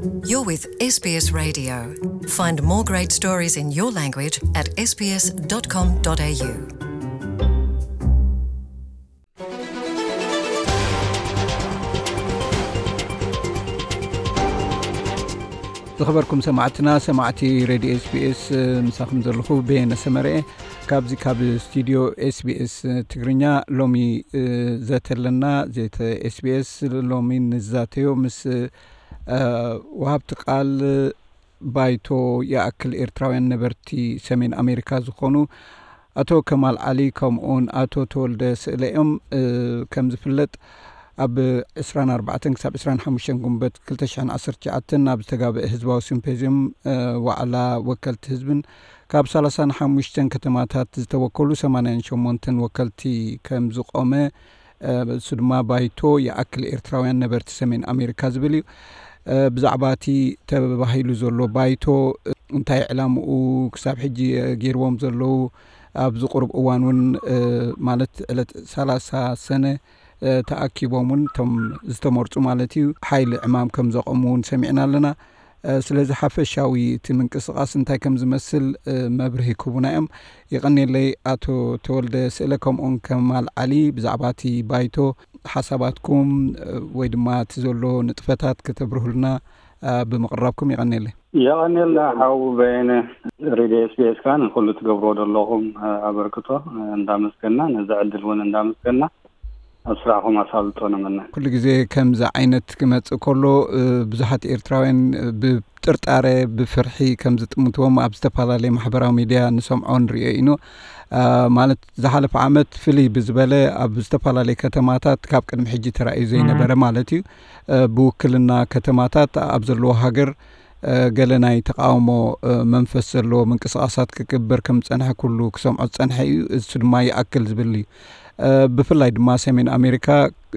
You're with S B S Radio. Find more great stories in your language at S B S dot com dot A U. ዝኸበርኩም ሰማዕትና፣ ሰማዕቲ ሬድዮ ኤስቢኤስ፣ ምሳኹም ዘለኹ በየነ ሰመረ። ካብዚ ካብ ስቱዲዮ ኤስቢኤስ ትግርኛ ሎሚ፣ እ፣ ዘተ ኣለና። ዘተ ኤስቢኤስ ሎሚ ንዛተዮ ምስ፣ እ፣ ወሃብቲ ቃል ባይቶ ይኣክል ኤርትራውያን ነበርቲ ሰሜን ኣሜሪካ ዝኾኑ ኣቶ ከማል ዓሊ ከምኡውን ኣቶ ተወልደ ስእለ እዮም። እ፣ ከም ዝፍለጥ ኣብ ዕስራን ኣርባዕተን ክሳብ ዕስራን ሓሙሽተን ጉንበት ክልተ ሽሕን ዓሰርተ ትሽዓተን ኣብ ዝተጋብአ ህዝባዊ ሲምፖዝዩም፣ እ፣ ዋዕላ ወከልቲ ህዝብን ካብ ሰላሳን ሓሙሽተን ከተማታት ዝተወከሉ ሰማንያን ሸሞንተን ወከልቲ ከም ዝቆመ፣ እ፣ እሱ ድማ ባይቶ ይኣክል ኤርትራውያን ነበርቲ ሰሜን ኣሜሪካ ዝብል እዩ። እ፣ ብዛዕባ እቲ ተባሂሉ ዘሎ ባይቶ፣ እ፣ እንታይ ዕላምኡ፣ ክሳብ ሕጂ፣ እ፣ ገይርዎም ዘለዉ፣ ኣብዚ ቁሩብ እዋን እውን፣ እ፣ ማለት ዕለት ሰላሳ ሰነ፣ እ፣ ተኣኪቦም እውን እቶም ዝተመርጹ ማለት እዩ፣ ሓይሊ ዕማም ከም ዘቆሙ እውን ሰሚዕና ኣለና። እ፣ ስለዚ ሓፈሻዊ እቲ ምንቅስቓስ እንታይ ከም ዝመስል፣ እ፣ መብርሂ ክህቡና እዮም። የቐንየለይ ኣቶ ተወልደ ስእለ ከምኡውን ከማል ዓሊ፣ ብዛዕባ እቲ ባይቶ ሓሳባትኩም፣ እ፣ ወይ ድማ እቲ ዘሎ ንጥፈታት ከተብርሁልና፣ እ፣ ብምቕራብኩም የቐንየለይ። የቐንየልና ሓው በየነ፣ ሬድዮ ኤስቢኤስ ከኣ ንኩሉ ትገብርዎ ዘለኹም፣ እ፣ ኣበርክቶ፣ እ፣ እንዳመስገና፣ ነዚ ዕድል እውን እንዳመስገና፣ ኣብ ስራሕኹም ኣሳልጦ ንምነ። ኩሉ ግዜ ከምዚ ዓይነት ክመጽእ ከሎ፣ እ፣ ብዙሓት ኤርትራውያን፣ እ፣ ብጥርጣረ፣ ብፍርሒ ከም ዝጥምትዎም ኣብ ዝተፈላለየ ማሕበራዊ ሚድያ ንሰምዖ ንርእዮ ኢኑ። እ፣ ማለት ዝሓለፈ ዓመት ፍልይ ብዝበለ ኣብ ዝተፈላለየ ከተማታት ካብ ቅድሚ ሕጂ ተራእዩ ዘይነበረ ማለት እዩ። እ፣ ብውክልና ከተማታት ኣብ ዘለዎ ሃገር፣ እ፣ ገለ ናይ ተቃውሞ፣ እ፣ መንፈስ ዘለዎ ምንቅስቃሳት ክግበር ከም ዝጸንሐ ኩሉ ክሰምዖ ዝጸንሐ እዩ። እሱ ድማ ይኣክል ዝብል እዩ። እ፣ ብፍላይ ድማ ሰሜን ኣሜሪካ፣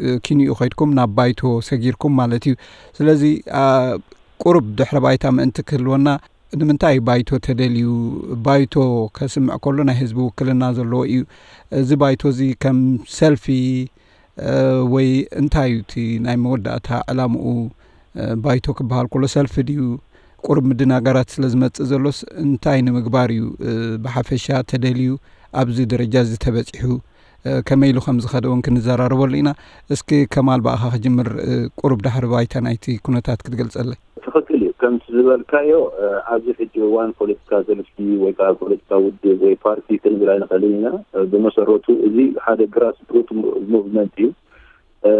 እ፣ ኪንኡ ከይድኩም ናብ ባይቶ ሰጊርኩም ማለት እዩ። ስለዚ፣ አ፣ ቁሩብ ድሕረ ባይታ ምእንቲ ክህልወና፣ ንምንታይ ባይቶ ተደልዩ? ባይቶ ከስምዕ ከሎ ናይ ህዝቢ ውክልና ዘለዎ እዩ። እዚ ባይቶ እዚ ከም ሰልፊ፣ እ፣ ወይ እንታይ እዩ እቲ ናይ መወዳእታ ዕላምኡ? እ፣ ባይቶ ክበሃል ከሎ ሰልፊ ድዩ? ቁሩብ ምድናጋራት ስለ ዝመጽእ ዘሎስ እንታይ ንምግባር እዩ፣ እ፣ ብሓፈሻ ተደልዩ ኣብዚ ደረጃ እዚ ተበጺሑ? እ፣ ከመይ ኢሉ ከም ዝኸደ እውን ክንዘራረበሉ ኢና። እስኪ ከማል ብኣኻ ክጅምር፣ እ፣ ቁሩብ ዳሕሪ ባይታ ናይቲ ኩነታት ክትገልጸለይ። ትኽክል እዩ። ከምቲ ዝበልካዮ፣ እ፣ ኣብዚ ሕጂ እዋን ፖለቲካ ሰልፊ ወይ ከዓ ፖለቲካ ውድብ ወይ ፓርቲ ክንብል ኣይንኽእልን ኢና። እ፣ ብመሰረቱ እዚ ሓደ ግራስ ሩት ሙቭመንት እዩ። እ፣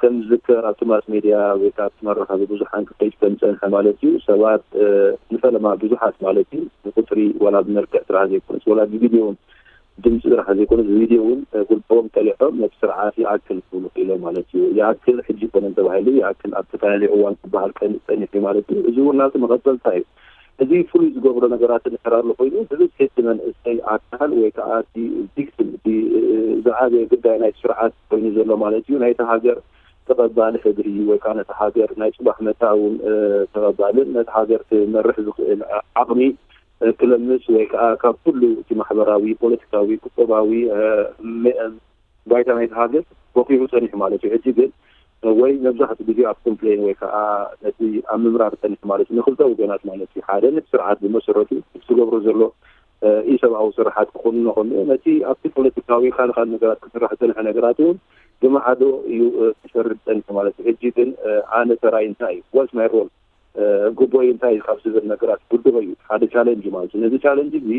ከም ዝዝከር ኣብቲ ማስ ሜድያ ወይ ከዓ ኣብቲ መራኸቢ ብዙሓን ክኸይድ ከም ዝጸንሐ ማለት እዩ። ሰባት፣ እ፣ ንፈለማ ብዙሓት ማለት እዩ፣ ብቁጽሪ ዋላ ብመልክዕ ጥራሕ ዘይኮነስ፣ ዋላ ብቪድዮ እውን ድምፂ ጥራሕ ዘይኮነ፣ ብቪድዮ እውን፣ እ፣ ጉልቦም ጠሊዖም ነቲ ስርዓት ይኣክል ክብሉ ክኢሎም ማለት እዩ። ይኣክል ሕጂ ይኮነን ተባሂሉ፣ ይኣክል ኣብ ዝተፈላለዩ እዋን ክበሃል ቀን-፣ ጸኒሑ እዩ ማለት እዩ። እዚ እውን ናብቲ መቐጸልታ እዩ። እዚ ፍሉይ ዝገብሮ ነገራት እንድሕር ኣሎ ኮይኑ፣ ብብዝሒ እቲ መንእሰይ ኣካል ወይ ከዓ እቲ ቪክቲም፣ እቲ፣ እ፣ ዝዓበየ ግዳይ ናይቲ ስርዓት ኮይኑ ዘሎ ማለት እዩ። ናይቲ ሃገር ተቐባሊ ሕድሪ ወይ ከዓ ነቲ ሃገር ናይ ጽባሕ መጻኢ እውን፣ እ፣ ተቐባልን ነቲ ሃገር ክመርሕ ዝኽእል ዓቕሚ፣ እ፣ ክለምስ ወይ ከዓ ካብ ኩሉ እቲ ማሕበራዊ፣ ፖለቲካዊ፣ ቁጠባዊ፣ እ፣ ሜ-፣ ባይታ ናይቲ ሃገር ወቂዑ ጸኒሑ ማለት እዩ። ሕጂ ግን፣ እ፣ ወይ መብዛሕትኡ ግዜ ኣብ ኮምፕሌን ወይ ከዓ ነቲ ኣብ ምምራር ጸኒሑ ማለት እዩ። ንክልተ ወገናት ማለት እዩ። ሓደ ነቲ ስርዓት ብመሰረቱ እቲ ዝገብሮ ዘሎ፣ እ፣ ኢሰብኣዊ ስርሓት ክኾኑ ከሎ፣ ነቲ ኣብቲ ፖለቲካዊ ካልእ ካልእ ነገራት ክስራሕ ዝጸንሐ ነገራት እውን ብማዕዶ እዩ፣ እ፣ ክሰርድ ጸኒሑ ማለት እዩ። ሕጂ ግን፣ እ፣ ኣነ ተራይ እንታይ እዩ? What's my role? እ፣ ግቦይ እንታይ እዩ ካብ ዝብል ነገራት ክውድሆ እዩ። ሓደ ቻለንጅ ማለት እዩ። ነዚ ቻለንጅ እዚ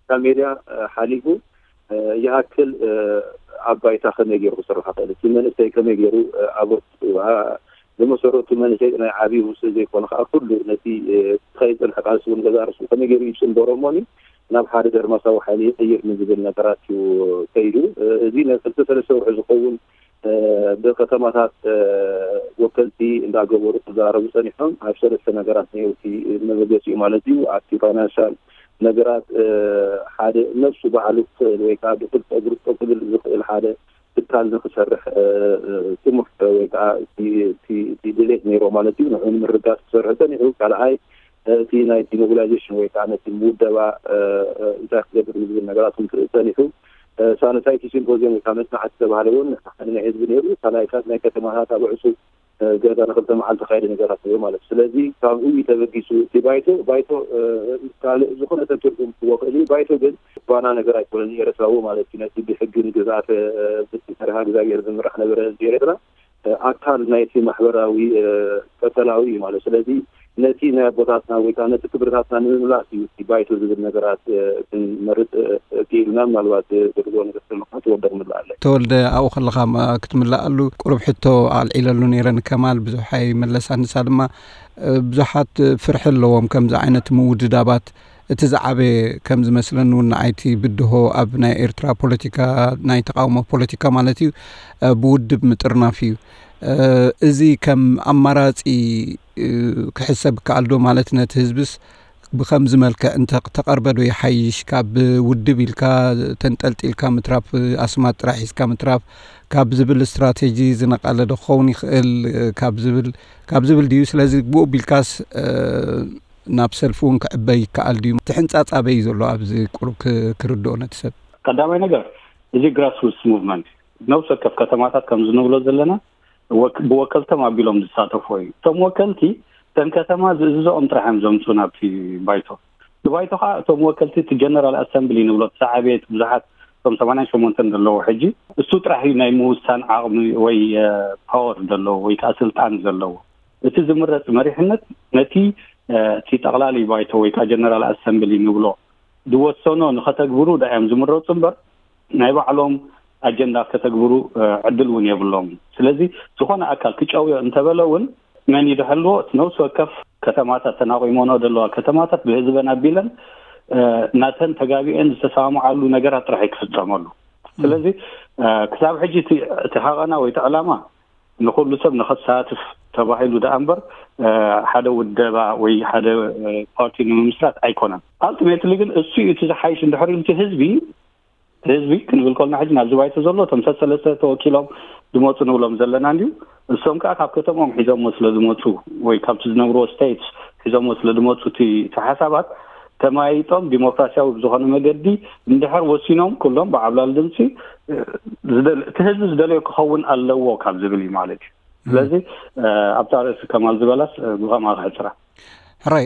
ካብ ሜድያ፣ እ፣ ሓሊፉ፣ እ፣ ይኣክል፣ እ፣ ኣብ ባይታ ከመይ ገይሩ ክስራሕ ይኽእል? እቲ መንእሰይ ከመይ ገይሩ፣ እ፣ ኣብ፣ እ፣ ብመሰረቱ መንእሰይ ናይ ዓብዪ ውስን ዘይኮነ ከዓ ኩሉ ነቲ፣ እ፣ ክኸይድ ዝጸንሐ ቃልሲ እውን ገዛእ ርእሱ ከመይ ገይሩ ይጽንበሮ እሞኒ ናብ ሓደ ደርማሳዊ ሓይሊ ይቕይር ንዝብል ነገራት እዩ ከይዱ። እ፣ እዚ ናይ ክልተ ሰለስተ ወርሒ ዝኸውን እ፣ ብከተማታት፣ እ፣ ወከልቲ እንዳገበሩ ክዛረቡ ጸኒሖም። ኣብ ሰለስተ ነገራት ነይሩ እቲ መበገሲኡ ማለት እዩ። ኣብቲ ፋይናንሻል ነገራት፣ እ፣ ሓደ ነብሱ ባዕሉ ክኽእል ወይ ከዓ ብክልተ እግሩ ጠው ክብል ዝኽእል ሓደ ትካል ንክሰርሕ፣ እ፣ እ፣ ጥሙሕ ወይ ከዓ እቲ፣ እቲ፣ እቲ ድሌት ነይሮ ማለት እዩ። ንዕኡ ንምርጋጽ ክሰርሕ ጸኒሑ። ካልኣይ፣ እቲ ናይቲ ሞቢላይዜሽን ወይ ከዓ ነቲ ምውደባ፣ እ፣ እ፣ እንታይ ክገብር ንዝብል ነገራት እውን ክርኢ ጸኒሑ። እ፣ ሳነሳይቲ ሲምፖዚየም ወይ ከዓ መጽናዕቲ ዝተባህለ እውን ሓደ ናይ ህዝቢ ነይሩ። ካልኣይ ካብ ናይ ከተማታት ኣብ ዕጹብ ገዛ ንክልተ መዓልቲ ካይደ ነገራት እዩ ማለት። ስለዚ ካብኡ እዩ ተበጊሱ እቲ ባይቶ። ባይቶ ካልእ ዝኾነ ሰብ ትርጉም ክህልዎ ክእል እዩ። ባይቶ ግን ባና ነገር ኣይኮነን፣ ኤርትራዊ ማለት እዩ። ነቲ ብሕጊ ንግዛተ ብዝተሰርሃ እግዚኣብሔር ዝምራሕ ነበረ ህዝቢ ኤርትራ ኣካል ናይቲ ማሕበራዊ ቀጠናዊ እዩ ማለት። ስለዚ ነቲ ናይ ኣቦታትና ወይ ከዓ ነቲ ክብርታትና ንምምላስ እዩ እቲ ባይቶ ዝብል ነገራት ክንመርጥ ክኢልና። ምናልባት ዝብሎ ነገር ተመካ ትወደቕ ምላኣለ። ተወልደ፣ ኣብኡ ከለኻ ክትምላኣሉ ቁሩብ ሕቶ ኣልዒለሉ ነይረ ንከማል፣ ብዙሕ ኣይመለሳን። ንሳ ድማ ብዙሓት ፍርሒ ኣለዎም ከምዚ ዓይነት ምውድዳባት። እቲ ዝዓበየ ከም ዝመስለኒ እውን ንዓይቲ ብድሆ ኣብ ናይ ኤርትራ ፖለቲካ፣ ናይ ተቃውሞ ፖለቲካ ማለት እዩ፣ ብውድብ ምጥርናፍ እዩ። እዚ ከም ኣማራጺ ክሕሰብ ይከኣል ዶ? ማለት ነቲ ህዝብስ ብኸምዚ መልክዕ እንተ ተቐርበ ዶ ይሓይሽ? ካብ ውድብ ኢልካ ተንጠልጢልካ ምትራፍ፣ ኣስማት ጥራሕ ሒዝካ ምትራፍ ካብ ዝብል ስትራቴጂ ዝነቐለ ዶ ክኸውን ይኽእል? ካብ ዝብል ካብ ዝብል ድዩ? ስለዚ ብኡ ቢልካስ ናብ ሰልፊ እውን ክዕበ ይከኣል ድዩ? እቲ ሕንጻጽ ኣበይ እዩ ዘሎ? ኣብዚ ቁሩብ ክርድኦ ነቲ ሰብ። ቀዳማይ ነገር፣ እዚ ግራስሩትስ ሙቭመንት፣ ነብሲ ወከፍ ከተማታት ከም ዝንብሎ ዘለና ብወከልቶም ኣቢሎም ዝሳተፎ እዩ። እቶም ወከልቲ እተን ከተማ ዝእዝዞኦም ጥራሕ እዮም ዘምፁ ናብቲ ባይቶ። እቲ ባይቶ ከዓ እቶም ወከልቲ፣ እቲ ጀነራል ኣሰምብሊ ንብሎ፣ እቲ ዝዓበየ፣ እቲ ብዙሓት፣ እቶም ሰማንያን ሸሞንተን ዘለዎ ሕጂ፣ እሱ ጥራሕ እዩ ናይ ምውሳን ዓቕሚ ወይ ፓወር ዘለዎ ወይ ከዓ ስልጣን ዘለዎ። እቲ ዝምረፅ መሪሕነት ነቲ እቲ ጠቕላሊ ባይቶ ወይ ከዓ ጀነራል ኣሰምብሊ ንብሎ ዝወሰኖ ንኸተግብሩ ዳእዮም ዝምረፁ እምበር፣ ናይ ባዕሎም ኣጀንዳ ከተግብሩ ዕድል እውን የብሎም። ስለዚ ዝኾነ ኣካል ክጨውዮ እንተበለ እውን መን ይድሐልዎ? እቲ ነብሲ ወከፍ ከተማታት፣ ተናቒሞኖ ዘለዋ ከተማታት ብህዝበን ኣቢለን ናተን ተጋቢአን ዝተሰማምዓሉ ነገራት ጥራሕ ክፍፀመሉ። ስለዚ ክሳብ ሕጂ እቲ ሃቐና ወይ እቲ ዕላማ ንኩሉ ሰብ ንኸሳትፍ ተባሂሉ ደኣ እምበር ሓደ ውደባ ወይ ሓደ ፓርቲ ንምምስራት ኣይኮነን። ኣልቲሜትሊ ግን እሱ እዩ እቲ ዝሓይሽ እንድሕር ኢሉ እቲ ህዝቢ ህዝቢ ክንብል ከሎና ሕጂ ናብዚ ባይቶ ዘሎ እቶም ሰሰለስተ ተወኪሎም ዝመፁ ንብሎም ዘለና እንድዩ። እሶም ከዓ ካብ ከተሞም ሒዞሞ ስለ ዝመፁ ወይ ካብቲ ዝነብርዎ ስቴትስ ሒዞሞ ስለ ዝመፁ እቲ ሓሳባት ተመያይጦም ዲሞክራሲያዊ ብዝኾነ መገዲ እንድሕር ወሲኖም ኩሎም ብዓብላል ድምፂ እቲ ህዝቢ ዝደለዮ ክኸውን ኣለዎ ካብ ዝብል እዩ ማለት እዩ። ስለዚ ኣብታ ርእሲ ከማል ዝበላስ ብኸምኣ ክሕፅራ። ሕራይ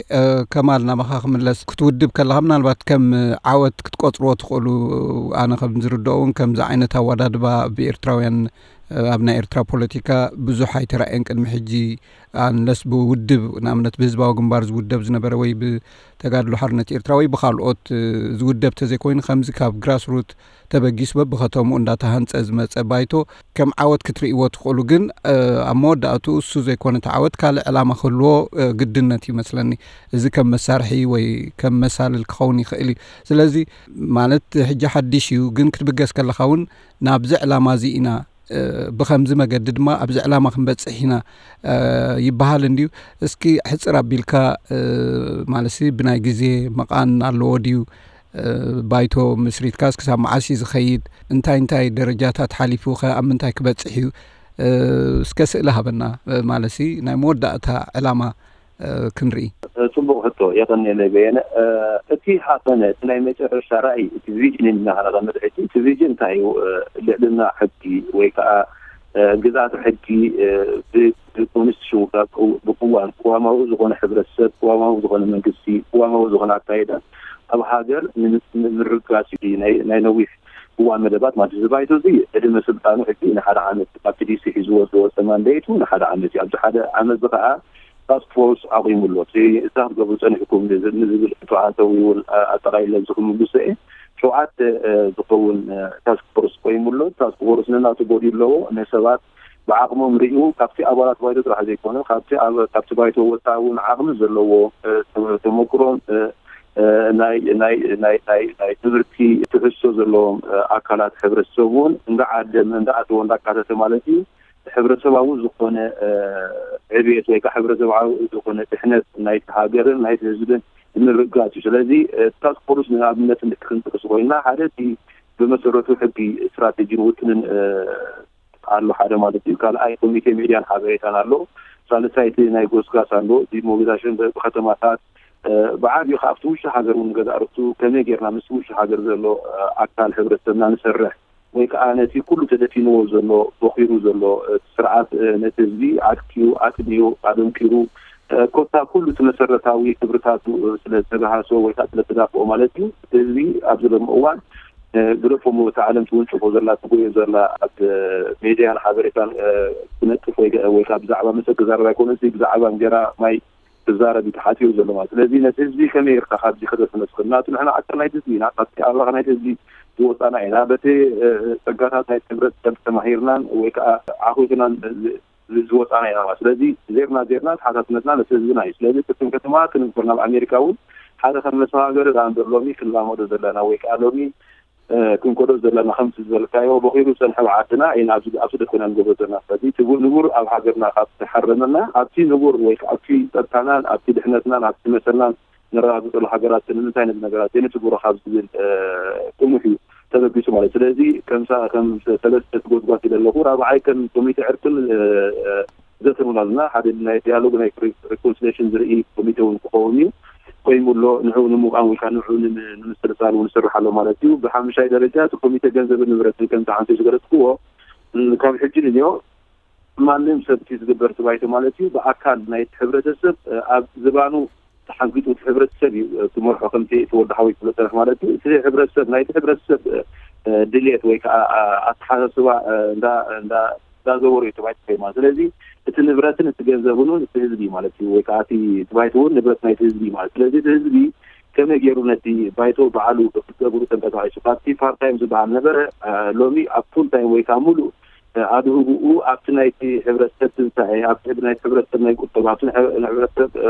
ከማል፣ ናባኻ ክምለስ። ክትውድብ ከለኻ ምናልባት ከም ዓወት ክትቆፅርዎ ትኽእሉ። ኣነ ከም ዝርድኦ እውን ከምዚ ዓይነት ኣወዳድባ ብኤርትራውያን ኣብ ናይ ኤርትራ ፖለቲካ ብዙሕ ኣይተራእየን ቅድሚ ሕጂ። ኣንለስ ብውድብ፣ ንኣብነት ብህዝባዊ ግንባር ዝውደብ ዝነበረ ወይ ብተጋድሎ ሓርነት ኤርትራ ወይ ብካልኦት ዝውደብ ተዘይኮይኑ፣ ከምዚ ካብ ግራስሩት ተበጊሱ በብኸተምኡ እንዳተሃንጸ ዝመጸ ባይቶ ከም ዓወት ክትርእይዎ ትኽእሉ። ግን ኣብ መወዳእትኡ እሱ ዘይኮነ እቲ ዓወት ካልእ ዕላማ ክህልዎ ግድነት ይመስለኒ። እዚ ከም መሳርሒ ወይ ከም መሳልል ክኸውን ይኽእል እዩ። ስለዚ ማለት ሕጂ ሓድሽ እዩ፣ ግን ክትብገስ ከለኻ እውን ናብዚ ዕላማ እዚ ኢና ብኸምዚ መገዲ ድማ ኣብዚ ዕላማ ክንበፅሕ ኢና ይበሃል እንድዩ። እስኪ ሕፅር ኣቢልካ ማለትሲ ብናይ ግዜ መቓን ኣለዎ ድዩ? ባይቶ ምስሪትካስ ክሳብ መዓስ እዩ ዝኸይድ? እንታይ እንታይ ደረጃታት ሓሊፉ ከ ኣብ ምንታይ ክበፅሕ እዩ? እስከ ስእሊ ሃበና። ማለትሲ ናይ መወዳእታ ዕላማ ክንርኢ። ፅቡቕ ሕቶ፣ የቐንየለይ በየነ። እቲ ሃቐነ፣ እቲ ናይ መጨረሻ ራእይ፣ እቲ ቪዥን ኢልና ከነቐምጥ ሕጂ፣ እቲ ቪዥን እንታይ እዩ? ልዕልና ሕጊ ወይ ከዓ ግዝኣተ ሕጊ ብኮንስቲቱሽን ብቅዋም፣ ቅዋማዊ ዝኾነ ሕብረተሰብ፣ ቅዋማዊ ዝኾነ መንግስቲ፣ ቅዋማዊ ዝኾነ ኣካይዳ ኣብ ሃገር ንምርጋፅ እዩ ናይ ነዊሕ እዋን መደባት ማለት እዩ። እዚ ባይቶ እዚ ዕድመ ስልጣኑ ሕጂ ንሓደ ዓመት፣ ኣብቲ ዲሲ ሒዝዎ ዝወፀ ማንዴቱ ንሓደ ዓመት እዩ። ኣብዚ ሓደ ዓመት እዚ ከዓ ታስክ ፎርስ ኣቑሙ ኣሎ። እቲ እንታይ ክትገብሩ ፀኒሕኩም ንዝብል ሕቶ ኣንተዊውን ኣጠቓሊለ ኣብዚ ክምልሶ እየ። ሸውዓተ ዝኸውን ታስክ ፎርስ ቆይሙ ኣሎ። ታስክ ፎርስ ነናቱ ቦዲ ኣለዎ። ነሰባት ብዓቕሞም ሪኡ ካብቲ ኣባላት ባይቶ ጥራሕ ዘይኮነ ካብቲ ባይቶ ወፃኢ እውን ዓቕሚ ዘለዎ ተመክሮን ናይ ናይ ናይ ናይ ናይ ትምህርቲ ትሕዝቶ ዘለዎም ኣካላት ሕብረተሰብ እውን እንዳዓደመ እንዳኣተወ እንዳካተተ ማለት እዩ። ሕብረተሰባዊ ዝኾነ ዕብየት ወይ ከዓ ሕብረተሰባዊ ዝኾነ ድሕነት ናይቲ ሃገርን ናይቲ ህዝብን ንምርጋፅ እዩ። ስለዚ ታስክ ፎርስ ንኣብነት ክንጥቅስ ኮይና ሓደ እቲ ብመሰረቱ ሕጊ ስትራቴጂን ውጥንን ኣሎ ሓደ ማለት እዩ። ካልኣይ ኮሚቴ ሚድያን ሓበሬታን ኣሎ። ሳልሳይ እቲ ናይ ጎስጋስ ኣሎ፣ ዲሞቢዛሽን ብከተማታት ብዓብዩ ካብቲ ውሽጢ ሃገር እውን ገዛ ርቱ ከመይ ጌርና ምስ ውሽጢ ሃገር ዘሎ ኣካል ሕብረተሰብና ንሰርሕ ወይ ከዓ ነቲ ኩሉ ተደፊንዎ ዘሎ፣ ቦኺሩ ዘሎ፣ እ፣ ስርዓት፣ እ፣ ነቲ ህዝቢ ዓጥቂኡ፣ ኣጥሚዩ፣ ኣደንቂሩ፣ እ፣ ኮታ ኩሉ እቲ መሰረታዊ ክብርታቱ፣ እ፣ ስለ ዝተባሃሶ ወይ ከዓ ስለ ዝተዳፍኦ ማለት እዩ። እቲ ህዝቢ ኣብዚ ሎሚ እዋን፣ እ፣ ግደፎ እሞ እታ ዓለም ትውንጭፎ ዘላ፣ ትጎዮ ዘላ፣ ኣብ፣ እ፣ ሜድያን ሓበሬታን፣ እ፣ ክነጥፍ ወይ ገ-፣ ወይ ከዓ ብዛዕባ መሰ ክዛረብ ኣይኮነን፣ እዚ ብዛዕባ እንጀራ ማይ ክዛረብ እዩ ተሓትዮ ዘሎ ማለት። ስለዚ ነቲ ህዝቢ ከመይ ጌርካ ካብዚ ከተስነስክል? ናቱ ንሕና ኣካል ናይቲ ህዝቢ ኢና፣ ካብቲ ኣባኻ ናይቲ ህዝቢ ዝወፃና ኢና። በቲ፣ እ፣ ጸጋታት ናይቲ ሕብረተሰብ ተማሂርናን ወይ ከዓ ዓኹትናን ዝ-፣ ዝ-፣ ዝወፃና ኢና ማለት። ስለዚ ዜርና ዜርና ተሓታትነትና ነቲ ህዝብና እዩ። ስለዚ ቅድም ከተማ ክንግበር ናብ ኣሜሪካ እውን ሓደ ከም መሰጋገሪ ደኣ እምበር ሎሚ ክንላመዶ ዘለና ወይ ከዓ ሎሚ፣ እ፣ ክንከዶ ዘለና ከምቲ ዝበልካዮ ቦኺሩ ዝፀንሐ ኣብ ዓድና ኢና ኣብዚ፣ ኣብዚ ደኮና ንገብሮ ዘለና። ስለዚ እቲ ንቡር ኣብ ሃገርና ካብ ተሓረመና ኣብቲ ንቡር ወይ ከዓ ኣብቲ ፀጥታናን ኣብቲ ድሕነትናን ኣብቲ መሰልናን ነረጋግፀሉ ሃገራት ንምንታይ ነዚ ነገራት ዘይንትግብሮ ካብ ዝብል፣ እ፣ ጥሙሕ እዩ ተበጊሱ ማለት። ስለዚ ከምሳ ከም ሰለስተ ትጎትጓት ኢለ ኣለኹ። ራብዓይ ከም ኮሚቴ ዕርቅን፣ እ፣ እ፣ ዘተን እውን ኣለና። ሓደ ናይ ዲያሎግ ናይ ሪ-፣ ሪኮንሲሌሽን ዝርኢ ኮሚቴ እውን ክኸውን እዩ። ቆይሙ ኣሎ። ንዕኡ ንምቋም ወይ ከዓ ንዕኡ ንም-፣ ንምስልሳል እውን ይሰርሕ ኣሎ ማለት እዩ። ብሓሙሻይ ደረጃ እቲ ኮሚቴ ገንዘብን ንብረትን ከምቲ ዓንተ ዝገለጽክዎ፣ ም፣ ካብ ሕጂ ንዮ ማንም ሰብ እቲ ዝግበር እቲ ባይቶ ማለት እዩ ብኣካል ናይቲ ሕብረተሰብ፣ እ፣ ኣብ ዝባኑ ተሓንጊጡ እቲ ሕብረተሰብ እዩ፣ እ፣ ክመርሖ ከምቲ እቲ ወዲ ሓወይ ክብሎ ዝጸንሐ ማለት እዩ። እቲ ሕብረተሰብ ናይቲ ሕብረተሰብ፣ እ፣ እ፣ ድልየት ወይ ከዓ፣ እ፣ ኣተሓሳስባ፣ እ፣ እንዳ፣ እንዳ፣ እንዳዘወሩ እዩ እቲ ባይቶ ማለት። ስለዚ እቲ ንብረትን እቲ ገንዘብን እውን እቲ ህዝቢ ማለት እዩ፣ ወይ ከዓ እቲ፣ እቲ ባይቶ እውን ንብረት ናይቲ ህዝቢ ማለት። ስለዚ እቲ ህዝቢ ከመይ ገይሩ ነቲ ባይቶ ባዕሉ ክትገብሩ ተንቀሳቒሱ ካብቲ ፓርታይም ዝበሃል ነበረ፣ እ፣ ሎሚ ኣብ ፉል ታይም ወይ ከዓ ሙሉእ ኣድህብኡ ኣብቲ ናይቲ ሕብረተሰብ ትንሳኤ፣ ኣብቲ ናይቲ ሕብረተሰብ ናይ ቁጠባ፣ ኣብቲ ናይ ሕብረተሰብ፣ እ፣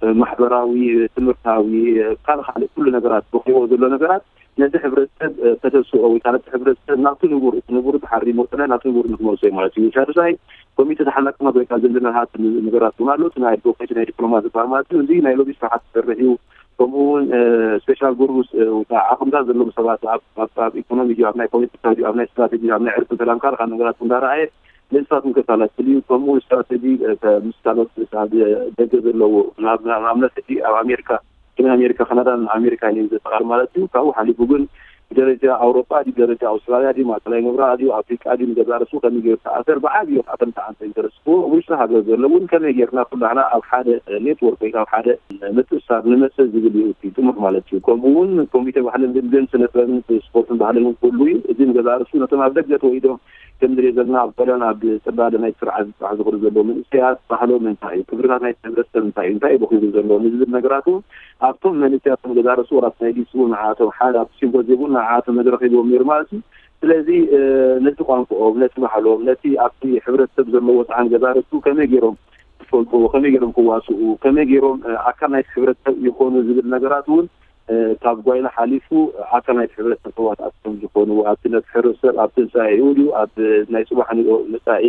እ፣ ማሕበራዊ፣ ትምህርታዊ፣ እ፣ ካልእ ካልእ ኩሉ ነገራት በኺዎ ዘሎ ነገራት ነቲ ሕብረተሰብ፣ እ፣ ከተስኦ ወይ ከዓ ነቲ ሕብረተሰብ ናብቲ ንቡር፣ እቲ ንቡር ተሓሪሞ ጥራይ ናብቲ ንቡር ንክመልሶ እዩ ማለት እዩ። ሻዱሳይ ኮሚቴ ተሓናቅነት ወይ ከዓ ዝምድናታት ነገራት እውን ኣሎ። እቲ ናይ ኣድቮኬሲ ናይ ዲፕሎማ ዝበሃል ማለት እዩ። እዚ ናይ ሎቢ ስራሓት ዝሰርሕ እዩ። ከምኡ እውን፣ እ፣ ስፔሻል ግሩፕስ፣ እ፣ ወይ ከዓ ዓቕምታት ዘለዎም ሰባት ኣብ፣ ኣብ፣ ኣብ ኢኮኖሚ ድዩ፣ ኣብ ናይ ፖለቲካ ድዩ፣ ኣብ ናይ ስትራቴጂ፣ ኣብ ናይ ዕርቂ ሰላም ካልእ ካልእ ነገራት እንዳረኣየ ንንሳቶም ከሳላስል እዩ። ከምኡ እውን ስትራቴጂ፣ እ፣ ከ-፣ ምስ ካልኦት ኣብ ደገ ዘለዉ ናብ፣ ናብ ኣብነት ሕጂ ኣብ ኣሜሪካ፣ ሰሜን ኣሜሪካ፣ ካናዳን ኣሜሪካን እዩ ዘጠቓል ማለት እዩ። ካብኡ ሓሊፉ ግን ብደረጃ ኣውሮጳ ድዩ፣ ደረጃ ኣውስትራልያ ድዩ፣ ማእከላይ ምብራቕ ድዩ፣ ኣፍሪቃ ድዩ፣ ንገዛ ርእሱ ከመይ ገይሩ ተኣሰር፣ ብዓብዩ ከኣ ከምቲ ዓንተ ዝተረስክዎ ኣብ ውሽጢ ሃገር ዘሎ እውን ከመይ ጌርና ኩላህና ኣብ ሓደ ኔትወርክ ወይ ኣብ ሓደ ምትእስሳር ንመጽእ ዝብል እዩ እቲ ጥሙሕ ማለት እዩ። ከምኡ እውን ኮሚቴ ባህልን ልምድን ስነ ጥበብን ስፖርትን ባህልን እውን ክህሉ እዩ። እዚ ንገዛ ርእሱ ነቶም ኣብ ደገ ተወሊዶም ከም ንሪኦ ዘለና ኣብ ጣልያን ኣብ ጽላለ ናይ ስርዓት ዝጽራሕ ዝኽእሉ ዘለዉ መንእሰያት ባህሎም እንታይ እዩ፣ ክብርታት ናይ ሕብረተሰብ እንታይ እዩ፣ እንታይ እዩ በኺሩ ዘሎ ንዝብል ነገራት እውን ኣብቶም መንእሰያት ንገዛ ርእሱ ወራት ናይ ዲስ እውን ንዓኣቶም ሓደ ኣብቲ ሲምፖዚየም እውን ንዓኣቶም መድረኽ ሂብዎም ነይሩ ማለት እዩ። ስለዚ፣ እ፣ ነቲ ቋንቋኦም፣ ነቲ ባህሎም፣ ነቲ ኣብቲ ሕብረተሰብ ዘለዎ ጻዕን ገዛ ርእሱ ከመይ ገይሮም ክፈልጥዎ፣ ከመይ ገይሮም ክዋስኡ፣ ከመይ ገይሮም፣ እ፣ ኣካል ናይቲ ሕብረተሰብ ይኾኑ ዝብል ነገራት እውን፣ እ፣ ካብ ጓይላ ሓሊፉ፣ እ፣ ኣካል ናይቲ ሕብረተሰብ ተዋሳእቲ ከም ዝኾኑ፣ ኣብቲ ነቲ ሕብረተሰብ ኣብ ትንሳኤኡ ድዩ፣ ኣብ ናይ ጽባሕ ንግሆ መጻኢ፣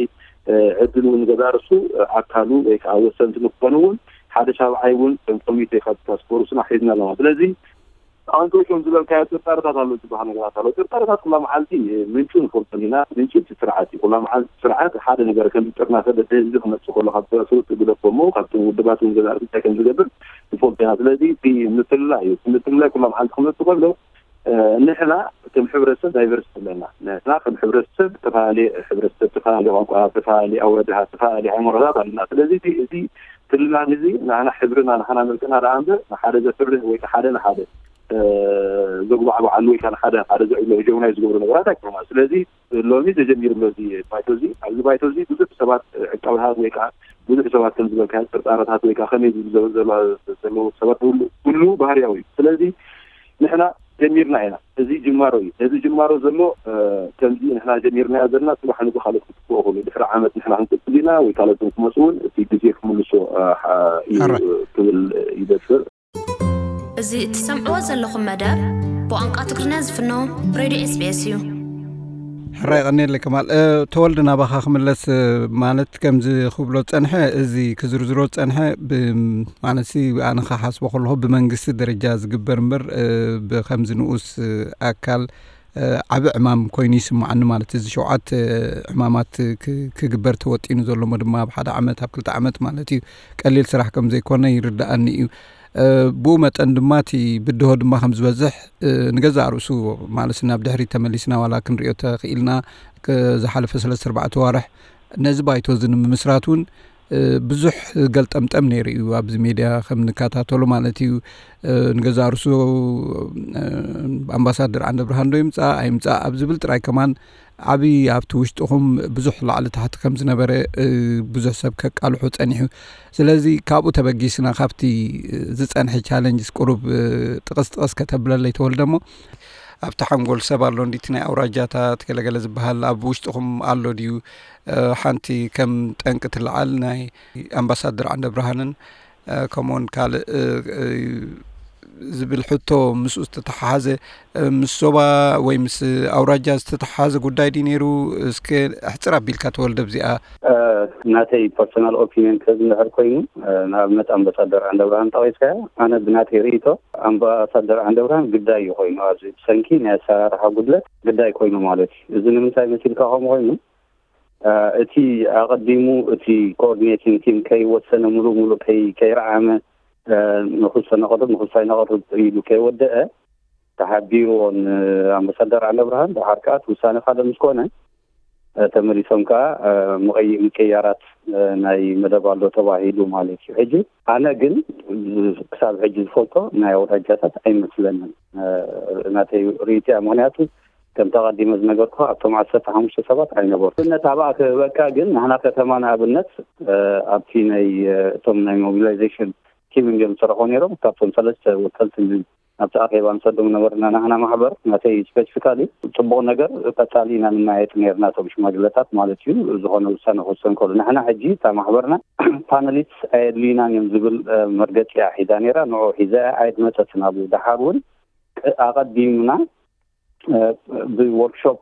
እ፣ ዕድል እውን ገዛ ርእሱ፣ እ፣ ኣካሉ ወይ ከዓ ወሰንቲ ንክኾኑ እውን ሓደ ሻብዓይ እውን ከም ኮሚቴ ካብ ታስክ ፎርስና ሒዝና ኣለና። ስለዚ ኣንቶሾም ዝበልካዮ ጥርጣረታት ኣሎ ዝበሃል ነገራት ኣሎ። ጥርጣረታት ኩላ መዓልቲ ምንጩ ንፈልጦ ኢና። ምንጩ እቲ ስርዓት እዩ። ኩላ መዓልቲ ስርዓት ሓደ ነገር ከም ዝጥርናፈ በቲ ህዝቢ ክመጽእ ከሎ ካብ ስሩት ግደፎ እሞ ካብቶም ውድባት እውን ገዛእቲ እንታይ ከም ዝገብር ንፈልጦ ኢና። ስለዚ እቲ ምፍልላይ እዩ። እቲ ምፍልላይ ኩላ መዓልቲ ክመጽእ ከሎ፣ እ፣ ንሕና ከም ሕብረተሰብ ዳይቨርሲቲ ኣለና። ንሕና ከም ሕብረተሰብ ዝተፈላለየ ሕብረተሰብ፣ ዝተፈላለየ ቋንቋ፣ ዝተፈላለየ ኣወዳድባ፣ ዝተፈላለየ ሃይማኖታት ኣለና። ስለዚ እቲ፣ እዚ ፍልላን እዚ ንሕና ሕብርና፣ ንሕና መልክዕና ደኣ እምበር ንሓደ ዘፍርህ ወይ ሓደ ንሓደ፣ እ፣ ዘጉባዕብዓሉ ወይ ከዓ ንሓደ፣ ሓደ ዘዕብሎ ሄጀሞናይ ዝገብሩ ነገራት ኣይኮኑን። ስለዚ ሎሚ ተጀሚሩ ኣሎ እዚ ባይቶ እዚ። ኣብዚ ባይቶ እዚ ብዙሕ ሰባት፣ እ፣ ዕቃብታት ወይ ከዓ ብዙሕ ሰባት ከም ዝበልካዮ ጥርጣረታት ወይ ከዓ ከመይ ዝብል ዘሎ፣ ዘለዉ ሰባት ኩሉ፣ ኩሉ ባህርያዊ እዩ። ስለዚ ንሕና ጀሚርና ኢና። እዚ ጅማሮ እዩ። እዚ ጅማሮ ዘሎ፣ እ፣ ከምዚ ንሕና ጀሚርናዮ ዘለና ጽባሕ ንግሆ ካልኦት ክትክኡ ይኽእሉ። ድሕሪ ዓመት ንሕና ክንቅጽል ኢና ወይ ካልኦት ክመጹ እውን እቲ ግዜ ክምልሶ፣ እ፣ ሓ-፣ እዩ፣ ሕራይ። እ፣ ክብል ይደፍር። እዚ እትሰምዕዎ ዘለኹም መደብ ብቋንቋ ትግርኛ ዝፍኖ ሬድዮ ኤስ ቢ ኤስ እዩ። ሕራይ፣ ቀኒየለይ ከማል። እ፣ ተወልደ፣ ናባኻ ክምለስ፣ እ፣ ማለት ከምዚ ክብሎ ጸንሐ፣ እዚ ክዝርዝሮ ጸንሐ፣ ብ-፣ ማለትሲ ኣነ ክሓስቦ ከለኹ ብመንግስቲ ደረጃ ዝግበር እምበር፣ እ፣ ብከምዚ ንኡስ፣ እ፣ ኣካል ዓብ ዕማም ኮይኑ ይስምዓኒ። ማለት እዚ ሸውዓት ዕማማት ክግበር ተወጢኑ ዘሎ ሞ ድማ ኣብ ሓደ ዓመት ኣብ ክልተ ዓመት ማለት እዩ፣ ቀሊል ስራሕ ከም ዘይኮነ ይርድኣኒ እዩ። ብኡ መጠን ድማ እቲ ብድሆ ድማ ከም ዝበዝሕ ንገዛእ ርእሱ ማለት ናብ ድሕሪት ተመሊስና ዋላ ክንሪኦ ተኽኢልና ዝሓለፈ ሰለስተ ኣርባዕተ ዋርሕ ነዚ ባይቶ እዚ ንምምስራት እውን ብዙሕ ገልጠምጠም ነይሩ እዩ። ኣብዚ ሜድያ ከም ንከታተሎ ማለት እዩ። ንገዛእ ርእሱ ኣምባሳደር ዓንደ ብርሃን ዶ ይምፃእ ኣይምፃእ ኣብ ዝብል ጥራይ ከማን ዓብዪ ኣብቲ ውሽጥኹም ብዙሕ ላዕሊ ታሕቲ ከም ዝነበረ ብዙሕ ሰብ ከቃልሑ ጸኒሑ። ስለዚ ካብኡ ተበጊስና ካብቲ ዝጸንሐ ቻለንጅስ ቁሩብ ጥቕስ ጥቕስ ከተብለለይ ተወልደ እሞ ኣብቲ ሓንጎል ሰብ ኣሎ እንዲቲ ናይ ኣውራጃታት ገለገለ ዝበሃል ኣብ ውሽጥኹም ኣሎ ድዩ? ሓንቲ ከም ጠንቂ ትለዓል ናይ ኣምባሳደር ዓንደ ብርሃንን ከምኡውን ካልእ ዝብል ሕቶ ምስኡ ዝተተሓሓዘ ምስ ዞባ ወይ ምስ ኣውራጃ ዝተተሓሓዘ ጉዳይ ድዩ ነይሩ? እስከ ኣሕፅር ኣቢልካ ተወልደ ብዚኣ። ናተይ ፐርሶናል ኦፒኒየን ከዝንሕር ኮይኑ፣ ንኣብነት ኣምባሳደር ዓንደ ብርሃን ጠቒስካዮ፣ ኣነ ብናተይ ርእይቶ ኣምባሳደር ዓንደ ብርሃን ግዳይ እዩ ኮይኑ ኣብዚ ብሰንኪ ናይ ኣሰራርሓ ጉድለት ግዳይ ኮይኑ ማለት እዩ። እዚ ንምንታይ መሲልካ ከምኡ ኮይኑ እቲ ኣቐዲሙ እቲ ኮኦርዲኔቲንግ ቲም ከይወሰነ ሙሉእ ሙሉእ ከይረዓመ ንክሶ ነቕርብ ንክሶ ኣይነቕርብ ኢሉ ከይወደአ ተሓቢርዎ ንኣምባሳደር ዓንደ ብርሃን ደሓር ከዓ እቲ ውሳነ ካልእ ምስ ኮነ ተመሊሶም ከዓ ምቕያራት ናይ መደብ ኣሎ ተባሂሉ ማለት እዩ። ሕጂ ኣነ ግን ክሳብ ሕጂ ዝፈልጦ ናይ ኣውራጃታት ኣይመስለንን ናተይ ርእይቶ እያ። ምክንያቱ ከም ተቐዲመ ዝነገርኩ ኣብቶም ዓሰርተ ሓሙሽተ ሰባት ኣይነበርኩ። ኣብነት ኣብኣ ክህበካ ግን ንሕና ከተማ ንኣብነት ኣብቲ ናይ እቶም ናይ ሞቢላይዜሽን ቲም እዮም ዝሰርሑ ነይሮም። ካብቶም ሰለስተ ወከልቲ ኣብቲ ኣኼባ ንሰዶም ነበርና ናህና ማሕበር ናተይ ስፔሲፊካሊ ጽቡቕ ነገር ቀጻሊ ኢና ንመያየጥ ነርና እቶም ሽማግለታት ማለት እዩ። ዝኾነ ውሳነ ክወሰን ከሎ ንሕና ሕጂ እታ ማሕበርና ፓነሊስት ኣየድልዩናን እዮም ዝብል መርገጺ እያ ሒዛ ነይራ። ንዑ ሒዛ እያ ኣይትመጸትን። ኣብ ደሓር እውን ኣቐዲምና ብወርክሾፕ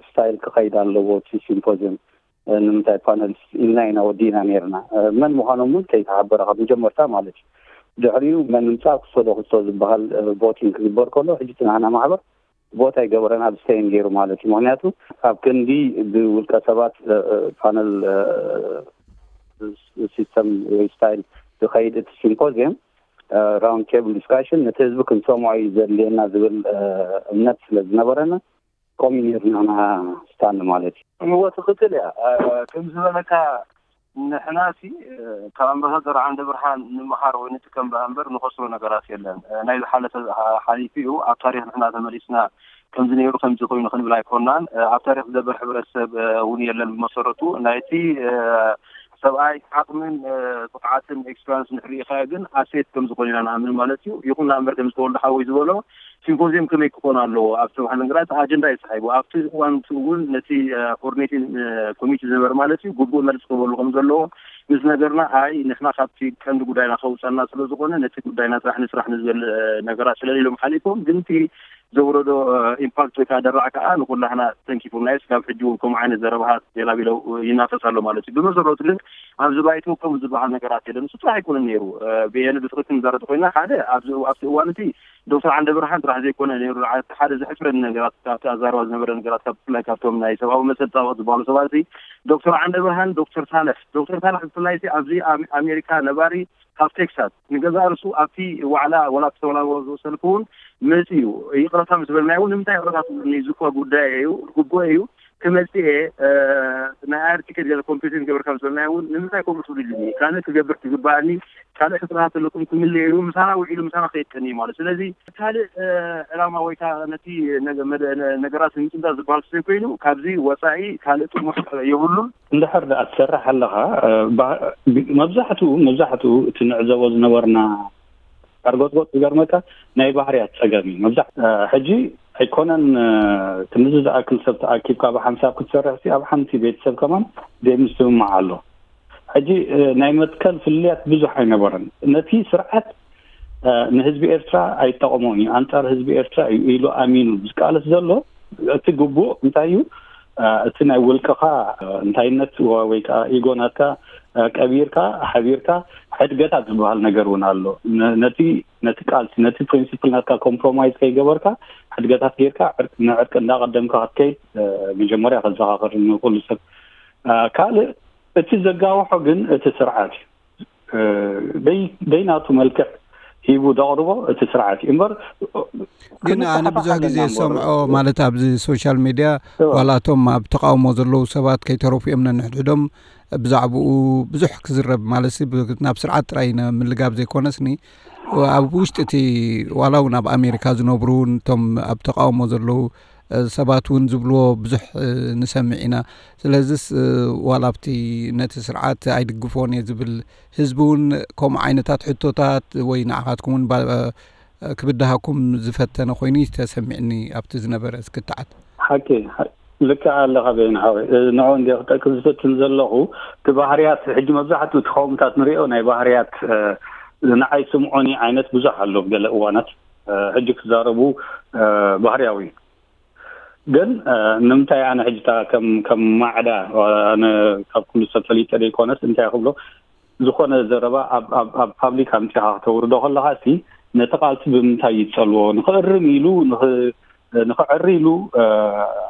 ስታይል ክኸይድ ኣለዎ እቲ ሲምፖዚየም ንምንታይ ፓነሊስት ኢልና ኢና ወዲእና ነርና። መን ምዃኖም እውን ከይተሓበረ ካብ መጀመርታ ማለት እዩ። ድሕሪኡ መን ምፃእ ክሶ ዶ ክሶ ዝበሃል ቮቲንግ ክግበር ከሎ ሕጂ እቲ ናህና ማሕበር ቮት ኣይገበረን ኣብ ስቴይን ገይሩ ማለት እዩ። ምክንያቱ ኣብ ክንዲ ብውልቀ ሰባት ፓነል ሲስተም ወይ ስታይል ዝኸይድ እቲ ሲምፖዚየም ራውንድ ቴብል ዲስካሽን ነቲ ህዝቢ ክንሰምዖ እዩ ዘድልየና ዝብል እምነት ስለ ዝነበረና ከምኡ ነርና ስታንድ ማለት እዩ። እወ ትኽክል እያ። ከም ዝበለካ ንሕና ሲ ካብ ኣምባሳደር ዓንደ ብርሃን ንምሃር ወይ ንጥቀም ባ እምበር ንኸስሮ ነገራት የለን። ናይ ዝሓለፈ ሓሊፉ እዩ። ኣብ ታሪክ ንሕና ተመሊስና ከምዚ ነይሩ ከምዚ ኮይኑ ክንብል ኣይኮናን። ኣብ ታሪክ ዝደበር ሕብረተሰብ እውን የለን። ብመሰረቱ ናይቲ ሰብኣይ ዓቕምን ብቕዓትን ኤክስፐሪንስ ንሕሪኢኻዮ ግን ኣሴት ከም ዝኾነ ኢና ንኣምን ማለት እዩ። ይኹን እምበር ከም ዝተወልደ ሓወይ ዝበሎ ሲምፖዚየም ከመይ ክኾን ኣለዎ ኣብ ዝተባህለ ነገራት ኣጀንዳ እዩ ተሳሒቡ። ኣብቲ እዋን እውን ነቲ ኮኦርዲኔቲንግ ኮሚቴ ዝነበረ ማለት እዩ ግቡእ መልሲ ክህበሉ ከም ዘለዎ ምስ ነገርና ኣይ ንሕና ካብቲ ቀንዲ ጉዳይና ከውፀና ስለ ዝኾነ ነቲ ጉዳይና ጥራሕ ንስራሕ ንዝብል ነገራት ስለሌሎም ሓሊፎም ግን እቲ ዘውረዶ ኢምፓክት ወይ ከዓ ደራዕ ከዓ ንኩላህና ተንኪፉና እዩ። ስጋብ ሕጂ እውን ከምኡ ዓይነት ዘረባሃት ሌላ ቢለው ይናፈስ ኣሎ ማለት እዩ። ብመሰረቱ ግን ኣብዚ ባይቶ ከምኡ ዝበሃል ነገራት የለን። ንሱ ጥራሕ ኣይኮነን ነይሩ ብኤን ብትኽክል ንዛረብ ኮይና ሓደ ኣብዚ ኣብቲ እዋን እቲ ዶክተር ዓንደ ብርሃን ጥራሕ ዘይኮነ ነይሩ ሓደ ዝሕፍረኒ ነገራት ካብቲ ኣዛረባ ዝነበረ ነገራት ካብ ብፍላይ ካብቶም ናይ ሰብኣዊ መሰል ፃወት ዝበሃሉ ሰባት እዚ ዶክተር ዓንደ ብርሃን ዶክተር ሳልሕ ዶክተር ሳልሕ ብፍላይ ኣብዚ ኣሜሪካ ነባሪ ካብ ቴክሳስ ንገዛእ ርሱ ኣብቲ ዋዕላ ወላ ተተወላወ ሰልፊ እውን መፂኡ ይቕረታ ምስ በልናዮ እውን ንምንታይ ይቕረታ ትብሉኒ እዚ እኳ ጉዳይ እዩ ግቡእ እዩ ክመፅእ እየ ናይ ኣየር ቲኬት ገለ ኮምፒቲሽን ገብርካ ምስ በልናዮ እውን ንምንታይ ከምኡ ትብሉ ኢሉኒ ካልእ ክገብር ትግባኣኒ ካልእ ሕፅረታት ኣለኩም ክምልእ ኢሉ ምሳና ውዒሉ ምሳና ከይቀኒ ማለት ስለዚ ካልእ ዕላማ ወይ ከዓ ነቲ ነገራት ንምፅንጣ ዝበሃል ስለ ኮይኑ ካብዚ ወፃኢ ካልእ ጥሙሕ የብሉን። እንድሕር ደኣ ትሰርሕ ኣለኻ መብዛሕትኡ መብዛሕትኡ እቲ ንዕዘቦ ዝነበርና ቀርጎጥጎጥ ዝገርመካ ናይ ባህርያት ፀገም እዩ። መብዛሕ ሕጂ ኣይኮነን ክንዚ ዝኣክል ሰብ ተኣኪብካ ብሓንሳብ ክትሰርሕ ሲ ኣብ ሓንቲ ቤተሰብ ከማን ዘይምስምማዕ ኣሎ። ሕጂ ናይ መትከል ፍልልያት ብዙሕ ኣይነበረን። ነቲ ስርዓት ንህዝቢ ኤርትራ ኣይጠቕሞን እዩ፣ ኣንጻር ህዝቢ ኤርትራ እዩ ኢሉ ኣሚኑ ዝቃለስ ዘሎ እቲ ግቡእ እንታይ እዩ? እቲ ናይ ውልቅኻ እንታይነት ወይ ከዓ ኢጎ ናትካ ቀቢርካ ሓቢርካ ሕድገታት ዝበሃል ነገር እውን ኣሎ። ነቲ ነቲ ቃልሲ ነቲ ፕሪንሲፕል ናትካ ኮምፕሮማይዝ ከይገበርካ ሕድገታት ጌርካ ንዕርቂ እንዳቀደምካ ክትከይድ መጀመርያ ከዘኻኽር ንኩሉ ሰብ። ካልእ እቲ ዘጋውሖ ግን እቲ ስርዓት እዩ። ደይናቱ መልክዕ ሂቡ ዘቕርቦ እቲ ስርዓት እዩ እምበር። ግን ኣነ ብዙሕ ግዜ ዝሰምዖ ማለት ኣብዚ ሶሻል ሚድያ ዋላቶም ኣብ ተቃውሞ ዘለዉ ሰባት ከይተረፉ እዮም ነንሕድሕዶም ብዛዕባኡ ብዙሕ ክዝረብ ማለት ናብ ስርዓት ጥራይ ምልጋብ ዘይኮነስኒ ኣብ ውሽጢ እቲ ዋላ እውን ኣብ ኣሜሪካ ዝነብሩ እቶም ኣብ ተቃውሞ ዘለዉ ሰባት እውን ዝብልዎ ብዙሕ ንሰምዕ ኢና። ስለዚስ ዋላ ኣብቲ ነቲ ስርዓት ኣይድግፎን እየ ዝብል ህዝቢ እውን ከምኡ ዓይነታት ሕቶታት ወይ ንዓኻትኩም እውን ክብድሃኩም ዝፈተነ ኮይኑ ተሰሚዕኒ ኣብቲ ዝነበረ ክትዓት። ሓቂ ልክዕ ኣለኻ በይን ሓወይ። ንዑ እንደ ክጠቅስ ዝፈትን ዘለኹ እቲ ባህርያት ሕጂ መብዛሕትኡ እቲ ከውምታት ንሪኦ ናይ ባህርያት ንዓይ ስምዖኒ ዓይነት ብዙሕ ኣሎ ገለ እዋናት ሕጂ ክዛረቡ ባህርያዊ ግን ንምንታይ ኣነ ሕጂ ከም ማዕዳ ኣነ ካብ ኩሉ ሰብ ፈሊጠ ዘይኮነስ እንታይ ክብሎ ዝኾነ ዘረባ ኣብ ፓብሊክ ኣምፂኻ ክተውርዶ ከለኻ ሲ ነቲ ቃልሲ ብምንታይ ይፀልዎ ንክእርም ኢሉ ንክዕሪ ኢሉ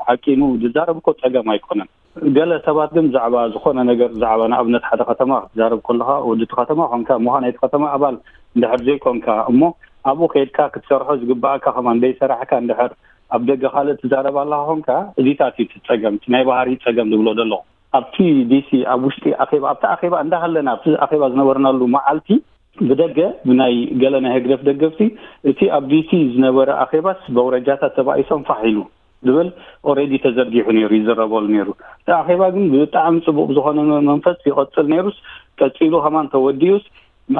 ሓቂኑ ዝዛረብ እኮ ፀገም ኣይኮነን። ገለ ሰባት ግን ብዛዕባ ዝኾነ ነገር ብዛዕባ ንኣብነት ሓደ ከተማ ክትዛረብ ከለኻ ወዲ እቲ ከተማ ኮንካ ምዃን ናይቲ ከተማ ኣባል እንድሕር ዘይኮንካ እሞ ኣብኡ ከይድካ ክትሰርሖ ዝግባኣካ ከማን ደይሰራሕካ እንድሕር ኣብ ደገ ካልእ ትዛረብ ኣለኻ ኮንካ እዚታት እዩ እቲ ፀገም እቲ ናይ ባህሪ ፀገም ዝብሎ ዘለኹ ኣብቲ ዲሲ ኣብ ውሽጢ ኣኼባ ኣብቲ ኣኼባ እንዳሃለና ኣብቲ ኣኼባ ዝነበርናሉ መዓልቲ ብደገ ብናይ ገለ ናይ ህግደፍ ደገፍቲ እቲ ኣብ ዲሲ ዝነበረ ኣኼባስ በውረጃታት ተባኢሶም ፋሕ ኢሉ ዝብል ኦሬዲ ተዘርጊሑ ነይሩ ይዝረበሉ ነይሩ። እቲ ኣኼባ ግን ብጣዕሚ ፅቡቅ ብዝኾነ መንፈስ ይቐፅል ነይሩስ ቀፂሉ ከማን ተወዲኡስ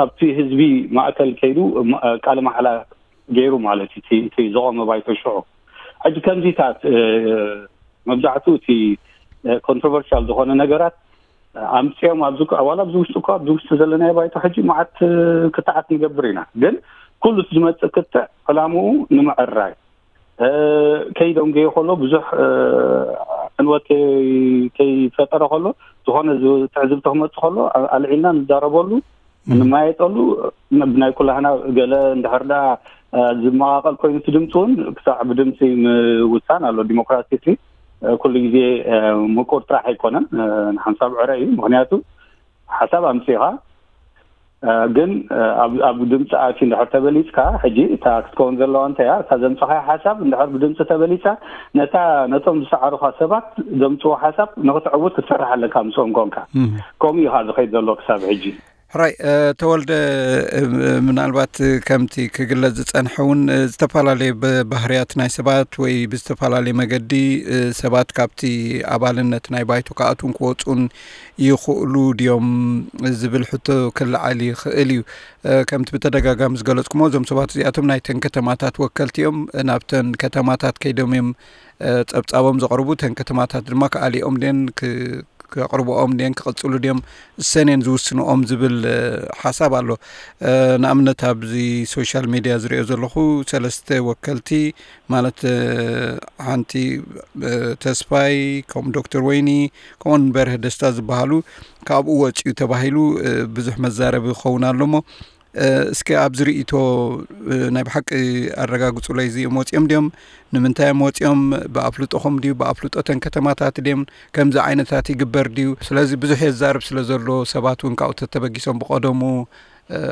ኣብቲ ህዝቢ ማእከል ከይዱ ቃለ ማሕላ ገይሩ ማለት እዩ እቲ ዝቆመ ባይቶ ሽዑ። ሕጂ ከምዚታት መብዛሕትኡ እቲ ኮንትሮቨርሻል ዝኾነ ነገራት ኣምፅኦም ኣብዚ ዋላ ኣብዚ ውሽጢ እኳ ኣብዚ ውሽጢ ዘለናዮ ባይቶ ሕጂ መዓት ክትዓት ንገብር ኢና። ግን ኩሉ ዝመፅእ ክትዕ ዕላምኡ ንምዕራይ ከይደንገየ ከሎ ብዙሕ ዕንወት ከይፈጠረ ከሎ ዝኾነ ትዕዝብቲ ክመፅእ ከሎ ኣልዒልና ንዛረበሉ ንማየጠሉ ብናይ ኩላህና ገለ እንድሕር ዳ ዝመቃቀል ኮይኑ እቲ ድምፂ እውን ክሳዕ ብድምፂ ምውሳን ኣሎ። ዲሞክራሲ ሲ ኩሉ ግዜ ምቁር ጥራሕ ኣይኮነን፣ ንሓንሳብ ዕረ እዩ። ምክንያቱ ሓሳብ ኣምፂኻ ግን ኣብ ድምፂ ኣትዩ እንድሕር ተበሊፅካ ሕጂ እታ ክትከውን ዘለዋ እንተያ እታ ዘምፅኻያ ሓሳብ እንድሕር ብድምፂ ተበሊፃ ነታ ነቶም ዝሰዓሩኻ ሰባት ዘምፅዎ ሓሳብ ንክትዕውት ክትሰርሕ ኣለካ ምስኦም ኮንካ። ከምኡ እዩ ከዓ ዝኸይድ ዘሎ ክሳብ ሕጂ። ሕራይ ተወልደ፣ ምናልባት ከምቲ ክግለጽ ዝጸንሐ እውን ዝተፈላለየ ባህርያት ናይ ሰባት ወይ ብዝተፈላለየ መገዲ ሰባት ካብቲ ኣባልነት ናይ ባይቶ ክኣትውን ክወፁን ይኽእሉ ድዮም ዝብል ሕቶ ክለዓል ይኽእል እዩ። ከምቲ ብተደጋጋሚ ዝገለጽኩሞ እዞም ሰባት እዚኣቶም ናይተን ከተማታት ወከልቲ እዮም። ናብተን ከተማታት ከይዶም እዮም ጸብጻቦም ዘቕርቡ። እተን ከተማታት ድማ ክኣልኦም ድን ከቕርብኦም ድን ክቕጽሉ ድዮም እሰን እየን ዝውስንኦም ዝብል ሓሳብ ኣሎ። ንኣብነት ኣብዚ ሶሻል ሚድያ ዝሪኦ ዘለኹ ሰለስተ ወከልቲ ማለት ሓንቲ ተስፋይ ከምኡ ዶክተር ወይኒ ከምኡን በርሀ ደስታ ዝበሃሉ ካብኡ ወፂኡ ተባሂሉ ብዙሕ መዛረቢ ክኸውን ኣሎ እሞ እስኪ ኣብዚ ርእይቶ ናይ ብሓቂ ኣረጋግፁለይ እዚኦም ወፂኦም ድዮም ንምንታይ እዮም ወፂኦም ብኣፍልጦኹም ድዩ ብኣፍልጦተን ከተማታት ድዮም ከምዚ ዓይነታት ይግበር ድዩ ስለዚ ብዙሕ የዛርብ ስለ ዘሎ ሰባት እውን ካብኡ ተተበጊሶም ብቀደሙ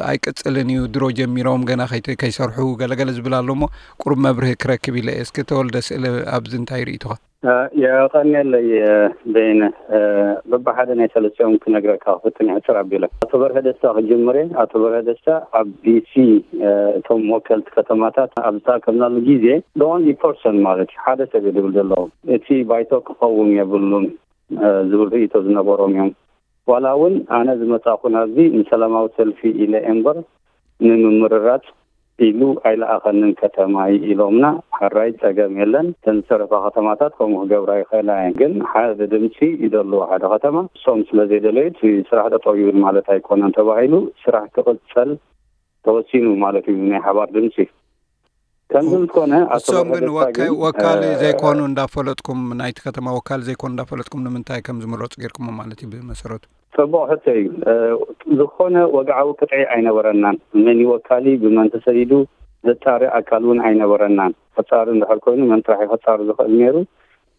ኣይቅፅልን እዩ ድሮ ጀሚሮም ገና ከይሰርሑ ገለገለ ዝብል ኣሎ እሞ ቁሩብ መብርሂ ክረክብ ኢለ እስኪ ተወልደ ስእለ ኣብዚ እንታይ ርእይቶኻ የቐንየለይ በይነ በብሓደ ናይ ሰለስቲኦም ክነግረካ ክፍትን ሕፅር ኣቢለ ኣቶ በርሀ ደስታ ክጅምር እየ ኣቶ በርሀ ደስታ ኣብ ዲሲ እቶም ወከልቲ ከተማታት ኣብ ዝተኣከብናሉ ግዜ the only person ማለት እዩ ሓደ ሰብ እዩ ዝብል ዘለዉ እቲ ባይቶ ክቐውም የብሉን ዝብል ርእይቶ ዝነበሮም እዮም ዋላ እውን ኣነ ዝመፃኹ ናብዚ ንሰላማዊ ሰልፊ ኢለ እየ እምበር ንምምርራፅ ኢሉ ኣይለኣኸንን ከተማይ ኢሎምና ሕራይ ፀገም የለን እተን ዝተረፋ ከተማታት ከምኡ ክገብራ ይኽእላ እየን ግን ሓደ ድምፂ ይደልዎ ሓደ ከተማ እሶም ስለዘይደለዩ እቲ ስራሕ ጠጠው ይብል ማለት ኣይኮነን ተባሂሉ ስራሕ ክቕፀል ተወሲኑ ማለት እዩ ናይ ሓባር ድምፂ ከምዚ ምስ ኮነ ኣቶ እሶም ግን በረከት ወካይ ግን፣ ወካሊ እ፣ ዘይኮኑ እንዳፈለጥኩም ናይቲ ከተማ ወካሊ ዘይኮኑ እንዳፈለጥኩም ንምንታይ ከም ዝምረፁ ጌርኩሞ ማለት እዩ ብመሰረቱ ጽቡቕ ሕቶ እዩ። ዝኾነ ወግዓዊ ቅጥዒ ኣይነበረናን። መን ይወካሊ፣ ብመን ተሰይዱ ዘጻሪ ኣካል እውን ኣይነበረናን። ሕጻሪ እንድሕር ኮይኑ መን ጥራሕ እዩ ሕጻሪ ዝኽእል ነይሩ?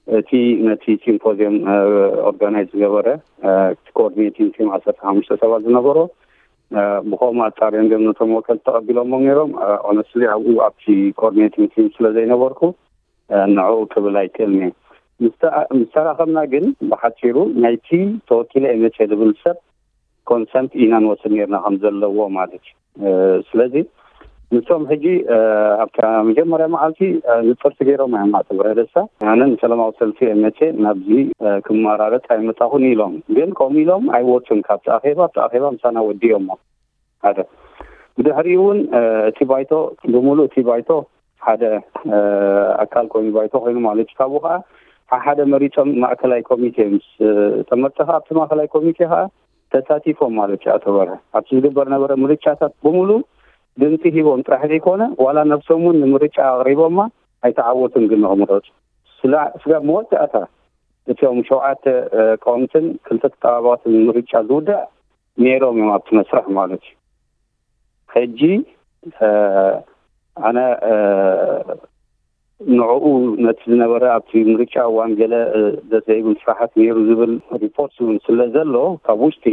እቲ ነቲ ሲምፖዚየም ኦርጋናይዝ ዝገበረ ኮኦርዲኔቲንግ ቲም ዓሰርተ ሓሙሽተ ሰባት ዝነበሮ፣ ብኸምኡ ኣጻርዮም ገም ነቶም ወከልቲ ተቐቢሎሞ ነይሮም። ኦነስትሊ ኣብኡ ኣብቲ ኮኦርዲኔቲንግ ቲም ስለ ዘይነበርኩ ንዕኡ ክብል ኣይክእልን እየ። ምስ ተራኸብና ግን ብሓፂሩ ናይቲ ተወኪለ እየ መፅየ ዝብል ሰብ ኮንሰንት ኢና ንወስድ ነርና ከም ዘለዎ ማለት እዩ። ስለዚ ንሶም ሕጂ ኣብታ መጀመርያ መዓልቲ ንፅርቲ ገይሮም እዮም ኣቶ ብረደሳ። ኣነ ንሰላማዊ ሰልፊ እየ መፅየ፣ ናብዚ ክመራረፅ ኣይመፃኹን ኢሎም። ግን ከምኡ ኢሎም ኣይወፁን ካብቲ ኣኼባ። ኣብቲ ኣኼባ ምሳና ወዲኦሞ ሓደ ብድሕሪኡ እውን እቲ ባይቶ ብምሉእ እቲ ባይቶ ሓደ ኣካል ኮይኑ ባይቶ ኮይኑ ማለት እዩ። ካብኡ ከዓ ሓደ መሪፆም ማእከላይ ኮሚቴ ምስ ጠመርተ ከዓ ኣብቲ ማእከላይ ኮሚቴ ከዓ ተሳቲፎም ማለት እዩ። ኣቶ በርሀ ኣብቲ ዝግበር ነበረ ምርጫታት ብምሉእ ድምፂ ሂቦም ጥራሕ ዘይኮነ ዋላ ነብሶም እውን ንምርጫ ኣቕሪቦማ ኣይተዓወቱን ግን ንክምረፁ ስጋብ መወዳእታ እቲኦም ሸውዓተ ቀወምትን ክልተ ተጠባባትን ምርጫ ዝውዳእ ነይሮም እዮም ኣብቲ መስርሕ ማለት እዩ። ሕጂ ኣነ ንዕኡ ነቲ ዝነበረ ኣብቲ ምርጫ እዋን ገለ ደስ ዘይብል ስራሓት ነይሩ ዝብል ሪፖርት እውን ስለ ዘሎ ካብ ውሽጢ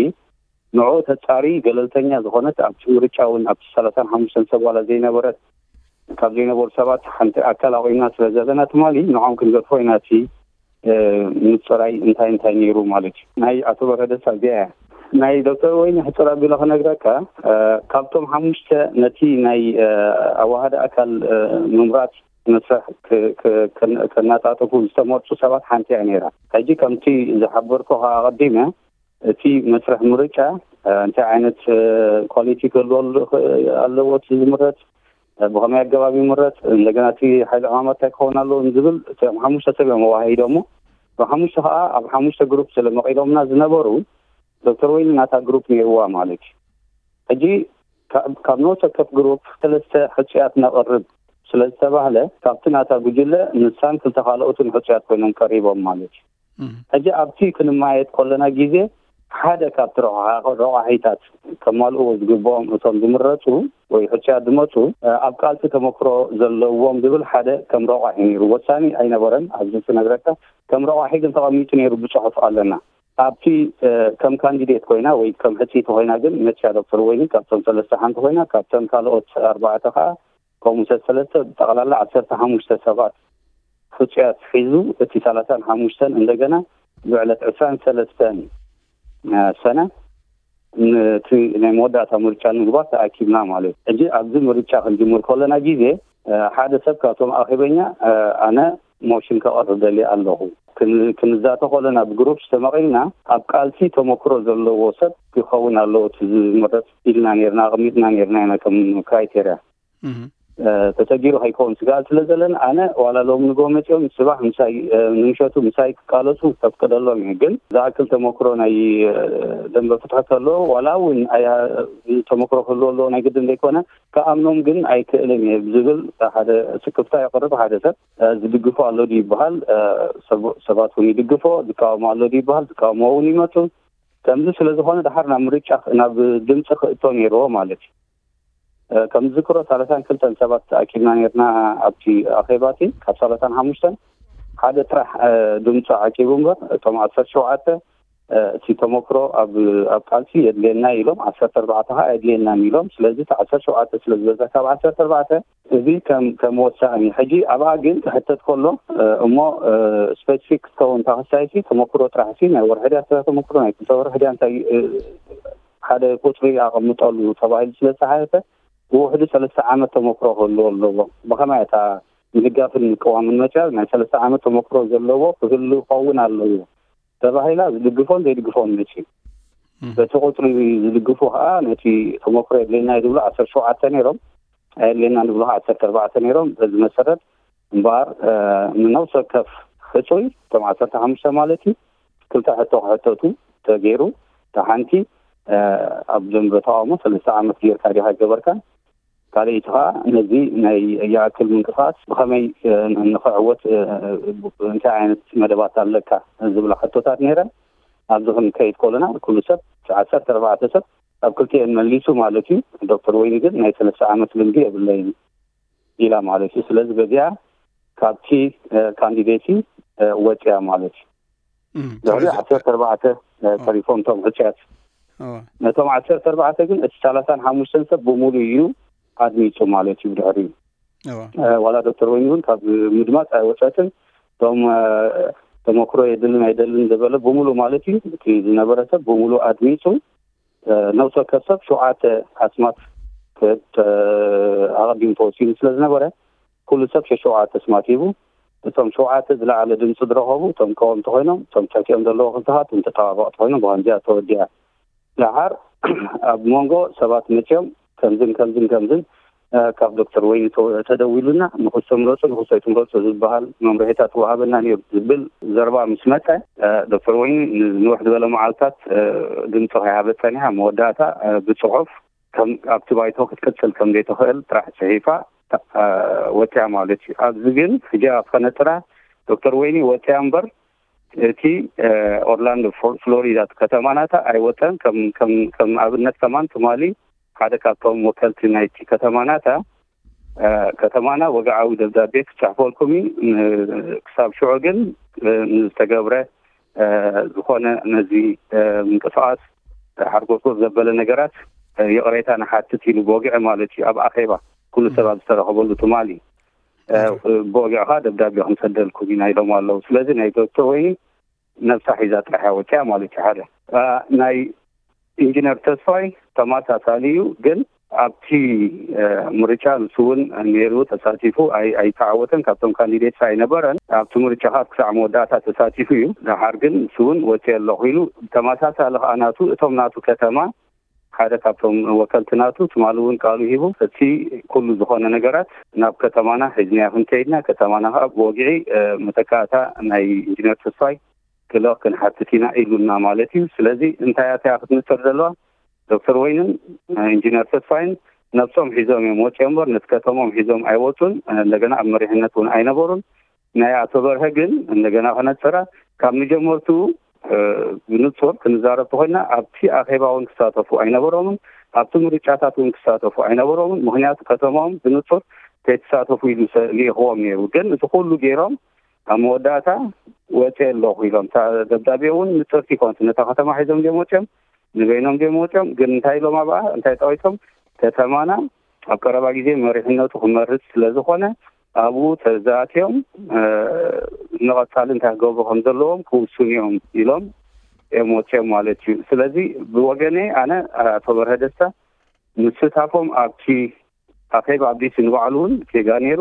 ንዕኡ ተጻሪ ገለልተኛ ዝኾነት ኣብቲ ምርጫ እውን ኣብቲ ሰላሳን ሓሙሽተን ሰብ ዋላ ዘይነበረት ካብ ዘይነበሩ ሰባት ሓንቲ ኣካል ኣቑምና ስለ ዘለና ትማሊ ንዕኦም ክንገድፎ ኢና እቲ ምፅራይ እንታይ እንታይ ነይሩ ማለት እዩ። ናይ ኣቶ በረደሳ እዚኣ እያ። ናይ ዶክተር ወይኒ ሕፅር ኣቢለ ክነግረካ ካብቶም ሓሙሽተ ነቲ ናይ ኣዋሃዲ ኣካል ምምራፅ መስርሕ ከናጣጥፉ ዝተመርፁ ሰባት ሓንቲ እያ ነይራ። ሕጂ ከምቲ ዝሓበርኩ ከዓ ኣቐዲመ እቲ መስርሕ ምርጫ እንታይ ዓይነት ኳሊቲ ክህልወሉ ኣለዎ እቲ ዝምረፅ፣ ብኸመይ ኣገባብ ይምረፅ፣ እንደገና እቲ ሓይሊ ዕማማት እንታይ ክኸውን ኣለዎ ዝብል እቶም ሓሙሽተ ሰብ እዮም ኣዋሂዶሞ። ብሓሙሽተ ከዓ ኣብ ሓሙሽተ ግሩፕ ስለ መቒሎምና ዝነበሩ ዶክተር ወይኒ ናታ ግሩፕ ነይርዋ ማለት እዩ። ሕጂ ካብ ነፍሲ ወከፍ ግሩፕ ሰለስተ ሕፁያት ነቕርብ ስለ ዝተባህለ ካብቲ ናታ ጉጅለ ንሳን ክልተ ካልኦትን ሕፁያት ኮይኖም ቀሪቦም ማለት እዩ። ሕጂ ኣብቲ ክንማየጥ ከለና ግዜ ሓደ ካብቲ ረቋሒታት ከማልእዎ ዝግብኦም እቶም ዝምረፁ ወይ ሕፁያት ዝመፁ ኣብ ቃልሲ ተመክሮ ዘለዎም ዝብል ሓደ ከም ረቋሒ ነይሩ። ወሳኒ ኣይነበረን ኣብዚ ክነግረካ ከም ረቋሒ ግን ተቐሚጡ ነይሩ ብፅሑፍ ኣለና። ኣብቲ ከም ካንዲዴት ኮይና ወይ ከም ሕፅይቲ ኮይና ግን መፅያ ዶክተር ወይኒ ካብቶም ሰለስተ ሓንቲ ኮይና ካብተን ካልኦት ኣርባዕተ ከዓ ከምኡ ሰለስተ ብጠቕላላ ዓሰርተ ሓሙሽተ ሰባት ሕፁያት ሒዙ እቲ ሰላሳን ሓሙሽተን እንደገና ብዕለት ዕስራን ሰለስተን ሰነ ነቲ ናይ መወዳእታ ምርጫ ንምግባር ተኣኪብና ማለት እዩ። ሕጂ ኣብዚ ምርጫ ክንጅምር ከለና ግዜ ሓደ ሰብ ካብቶም ኣኼበኛ ኣነ ሞሽን ከቐርብ ደልየ ኣለኹ ክንዛተ ከለና ብግሩፕ ዝተመቒልና ኣብ ቃልሲ ተመክሮ ዘለዎ ሰብ ክኸውን ኣለዎ እቲ ዝምረፅ ኢልና ነርና ኣቐሚጥና ነርና ኢና ከም ክራይቴርያ። ተፀጊሩ ከይከውን ስጋኣት ስለ ዘለን ኣነ ዋላ ሎም ንጎ መፅኦም ፅባሕ ምሳይ ንምሸቱ ምሳይ ክቃለሱ ከፍቅደሎም እዩ። ግን ዝኣክል ተመክሮ ናይ ደንበ ፍትሒ ከሎ ዋላ እውን ተመክሮ ክህልዎ ኣለዎ ናይ ግድን ዘይኮነ ክኣምኖም ግን ኣይክእልን እየ ዝብል ሓደ ስክፍታ የቕርብ። ሓደ ሰብ ዝድግፎ ኣሎ ድ ይበሃል፣ ሰባት እውን ይድግፎ፣ ዝቃወሞ ኣሎ ድ ይበሃል፣ ዝቃወሞ እውን ይመፁ። ከምዚ ስለ ዝኾነ ድሓር ናብ ምርጫ ናብ ድምፂ ክእቶ ነይርዎ ማለት እዩ። ከም ዝዝክሮ ሰላሳን ክልተን ሰባት ተኣኪብና ነርና ኣብቲ ኣኼባቲ ካብ ሰላሳን ሓሙሽተን ሓደ ጥራሕ ድምፂ ዓቂቡ እምበር እቶም ዓሰርተ ሸውዓተ እቲ ተመክሮ ኣብ ኣብ ቃልሲ የድልየና ኢሎም ዓሰርተ ኣርባዕተ ከዓ የድልየናን ኢሎም። ስለዚ እቲ ዓሰርተ ሸውዓተ ስለ ዝበዛ ካብ ዓሰርተ ኣርባዕተ እዚ ከም ከም ወሳኒ ሕጂ ኣብኣ ግን ክሕተት ከሎ እሞ ስፔሲፊክ ክትከውን ተኸሳይሲ ተመክሮ ጥራሕ ሲ ናይ ወርሒ ድያ ተመክሮ ናይ ክልተ ወርሒ ድያ እንታይ ሓደ ቁፅሪ ኣቐምጠሉ ተባሂሉ ስለ ዝተሓተተ ብውሕዱ ሰለስተ ዓመት ተመክሮ ክህልዎ ኣለዎ። ብኸመይ እታ ምድጋፍን ምቅዋምን መፅያ ናይ ሰለስተ ዓመት ተመክሮ ዘለዎ ክህሉ ክኸውን ኣለዎ ተባሂላ ዝድግፎን ዘይድግፎን መፅዩ። በቲ ቁፅሪ ዝድግፉ ከዓ ነቲ ተመክሮ የድልየና እዩ ዝብሉ ዓሰርተ ሸውዓተ ነይሮም፣ ኣየድልየና ዝብሉ ከዓ ዓሰርተ ኣርባዕተ ነይሮም። በዚ መሰረት እምበኣር ንነብሲ ወከፍ ሕፁይ እቶም ዓሰርተ ሓሙሽተ ማለት እዩ ክልተ ሕቶ ክሕተቱ ተገይሩ። እታ ሓንቲ ኣብ ደንበ ተቃውሞ ሰለስተ ዓመት ጌርካ ዲኻ ገበርካ፣ ካልኣይቲ ከዓ ነዚ ናይ ይኣክል ምንቅስቃስ ብኸመይ ንክዕወት እንታይ ዓይነት መደባት ኣለካ ዝብላ ሕቶታት ነይረን። ኣብዚ ክንከይድ ከለና ኩሉ ሰብ ዓሰርተ ኣርባዕተ ሰብ ኣብ ክልቲኤን መሊሱ ማለት እዩ። ዶክተር ወይኒ ግን ናይ ሰለስተ ዓመት ልምዲ የብለይን ኢላ ማለት እዩ። ስለዚ በዚኣ ካብቲ ካንዲዴቲ ወፅያ ማለት እዩ። ድሕሪ ዓሰርተ ኣርባዕተ ተሪፎም እቶም ዕፅያት። ነቶም ዓሰርተ ኣርባዕተ ግን እቲ ሰላሳን ሓሙሽተን ሰብ ብሙሉ እዩ ኣድሚፁ ማለት እዩ። ድሕሪ ዋላ ዶክተር ወይኒ እውን ካብ ምድማፅ ኣይወፀትን። እቶም ተመክሮ የድልን ኣይደልን ዝበለ ብሙሉ ማለት እዩ፣ እቲ ዝነበረ ሰብ ብሙሉ ኣድሚፁ። ነብሲ ወከፍ ሰብ ሸውዓተ ኣስማት ኣቐዲሙ ተወሲኑ ስለ ዝነበረ ኩሉ ሰብ ሸሸውዓተ ኣስማት ሂቡ። እቶም ሸውዓተ ዝለዓለ ድምፂ ዝረኸቡ እቶም ቀወምቲ ኮይኖም፣ እቶም ትሕቲኦም ዘለዉ ክልተኻት እቶም ተጠባበቕቲ ኮይኖም ብኸምዚኣ ተወዲኣ። ደሓር ኣብ መንጎ ሰባት መፅዮም ከምዝን ከምዝን ከምዝን ካብ ዶክተር ወይኒ ተደዊሉና ንክሶ ምረፁ ንክሶ ኣይትምረፁ ዝበሃል መምርሒታት ወሃበና ነይሩ ዝብል ዘረባ ምስ መፀ፣ ዶክተር ወይኒ ንንውሕ ዝበለ መዓልታት ድምፂ ከይሃበት ፀኒሓ። መወዳእታ ብፅሑፍ ኣብቲ ባይቶ ክትቅፅል ከም ዘይትኽእል ጥራሕ ፅሒፋ ወፅያ ማለት እዩ። ኣብዚ ግን ሕጂ ኣብ ከነፅራ ዶክተር ወይኒ ወፅያ እምበር እቲ ኦርላንዶ ፍሎሪዳ እቲ ከተማ ናታ ኣይወፀን። ከም ኣብነት ከማን ትማሊ ሓደ ካብቶም ወከልቲ ናይቲ ከተማ ናታ ከተማና ወግዓዊ ደብዳቤ ክፅሕፈልኩም እዩ። ክሳብ ሽዑ ግን ንዝተገብረ ዝኾነ ነዚ ምንቅስቃስ ሓርጎርጎር ዘበለ ነገራት ይቕሬታ ንሓትት ኢሉ ብወግዒ ማለት እዩ። ኣብ ኣኼባ ኩሉ ሰብ ኣብ ዝተረኸበሉ ትማሊ ብወግዕኻ ደብዳቤ ክንሰደልኩም ኢና ኢሎም ኣለዉ። ስለዚ ናይ ዶክተር ወይኒ ነብሳ ሒዛ ጥራሕ እያ ወፂኣ ማለት እዩ። ሓደ ናይ ኢንጂነር ተስፋይ ተመሳሳሊ እዩ፣ ግን ኣብቲ ምርጫ ንሱ እውን ነይሩ ተሳቲፉ ኣይተዓወተን። ካብቶም ካንዲዴትስ ኣይነበረን። ኣብቲ ምርጫ ካብ ክሳዕ መወዳእታ ተሳቲፉ እዩ። ደሓር ግን ንሱ እውን ወፂአ ኣለኹ ኢሉ ተመሳሳሊ ከዓ ናቱ እቶም ናቱ ከተማ ሓደ ካብቶም ወከልቲ ናቱ ትማሊ እውን ቃሉ ሂቡ እቲ ኩሉ ዝኾነ ነገራት ናብ ከተማና ሒዝናዮ ክንከይድና ከተማና ከዓ ብወግዒ መተካእታ ናይ ኢንጂነር ተስፋይ ክልቕ ክንሓትት ኢና ኢሉና ማለት እዩ። ስለዚ እንታይ ኣትያ ክትምፅር ዘለዋ ዶክተር ወይንን ኢንጂነር ተስፋይን ነብሶም ሒዞም እዮም ወፂኦም እምበር ነቲ ከተሞም ሒዞም ኣይወፁን። እንደገና ኣብ መሪሕነት እውን ኣይነበሩን። ናይ ኣቶ በርሀ ግን እንደገና ከነፅራ ካብ መጀመርትኡ ብንፁር ክንዛረብ ተኮይና ኣብቲ ኣኼባ እውን ክሳተፉ ኣይነበሮምን። ኣብቲ ምርጫታት እውን ክሳተፉ ኣይነበሮምን። ምክንያቱ ከተማኦም ብንፁር ከይተሳተፉ ኢሉ ልኢኽዎም ነይሩ። ግን እቲ ኩሉ ገይሮም ኣብ መወዳእታ ወፂአ ኣለኹ ኢሎም። ደብዳቤ እውን ንፅርቲ ይኮንት ነታ ከተማ ሒዞም ዲዮም ወፂኦም ንበይኖም ዲዮም ወፂኦም። ግን እንታይ ኢሎም ኣብኣ እንታይ ጠቂሶም ከተማና ኣብ ቀረባ ግዜ መሪሕነቱ ክመርፅ ስለዝኾነ ኣብኡ ተዛትዮም ንቐፃሊ እንታይ ክገብሩ ከም ዘለዎም ክውስኑ እዮም ኢሎም እዮም ወፂኦም ማለት እዩ። ስለዚ ብወገነይ ኣነ ኣቶ በርሀ ደስታ ምስታፎም ኣብቲ ኣኼባ ኣብ ዲሲ ንባዕሉ እውን ጌጋ ነይሩ።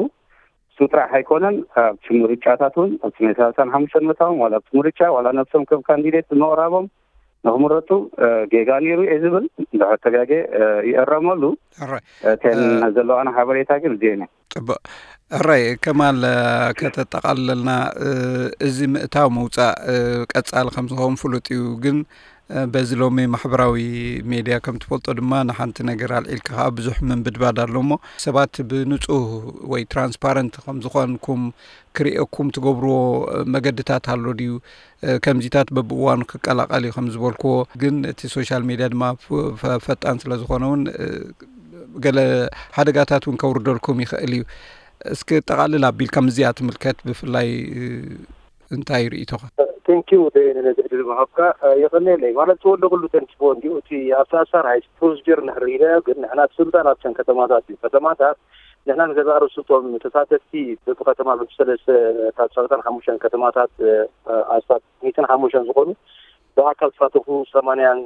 እሱ ጥራሕ ኣይኮነን ኣብቲ ምርጫታት እውን ኣብቲ ናይ ሰላሳን ሓሙሽተን መታዎም ዋላ ኣብቲ ምርጫ ዋላ ነብሶም ከም ካንዲዴት ብምቕራቦም ንክምረፁ ጌጋ ነይሩ እየ ዝብል። እንድሕር ተጋጌ ይእረመሉ። እተን ዘለዋና ሓበሬታ ግን እዚአን እየን። ፅቡቅ። ሕራይ ከማል፣ ከተጠቃልለልና፣ እዚ ምእታው ምውፃእ ቀፃሊ ከም ዝኸውን ፍሉጥ እዩ። ግን በዚ ሎሚ ማሕበራዊ ሜድያ ከም ትፈልጦ ድማ ንሓንቲ ነገር ኣልዒልካ ከዓ ብዙሕ ምንብድባድ ኣሎ እሞ ሰባት ብንፁህ ወይ ትራንስፓረንት ከም ዝኾንኩም ክርእየኩም ትገብርዎ መገድታት ኣሎ ድዩ? ከምዚታት በብእዋኑ ክቀላቀል እዩ ከም ዝበልክዎ፣ ግን እቲ ሶሻል ሜድያ ድማ ፈጣን ስለ ዝኾነ እውን ገለ ሓደጋታት እውን ከውርደልኩም ይኽእል እዩ። እስኪ ጠቓልል ኣቢልካ ምስዚኣ ትምልከት ብፍላይ እንታይ ርእይቶኻ? ቴንኪው ደየነ ነዚ ዕድል ምሃብካ። የቐንየለይ። ማለት ተወለኹሉ ተንስቦ እንዲኡ እቲ ኣብቲ ኣሳር ሃይ ፕሮሲጀር ንሕር ኢለ ግን ንሕና ስልጣን ኣብተን ከተማታት እዩ። ከተማታት ንሕና ንገዛእ ርእሱ እቶም ተሳተፍቲ በብከተማ በብሰለስተ ካብ ሰለስታን ሓሙሽተን ከተማታት ኣስታት ሚእትን ሓሙሽተን ዝኾኑ ብኣካል ዝሳተፉ ሰማንያን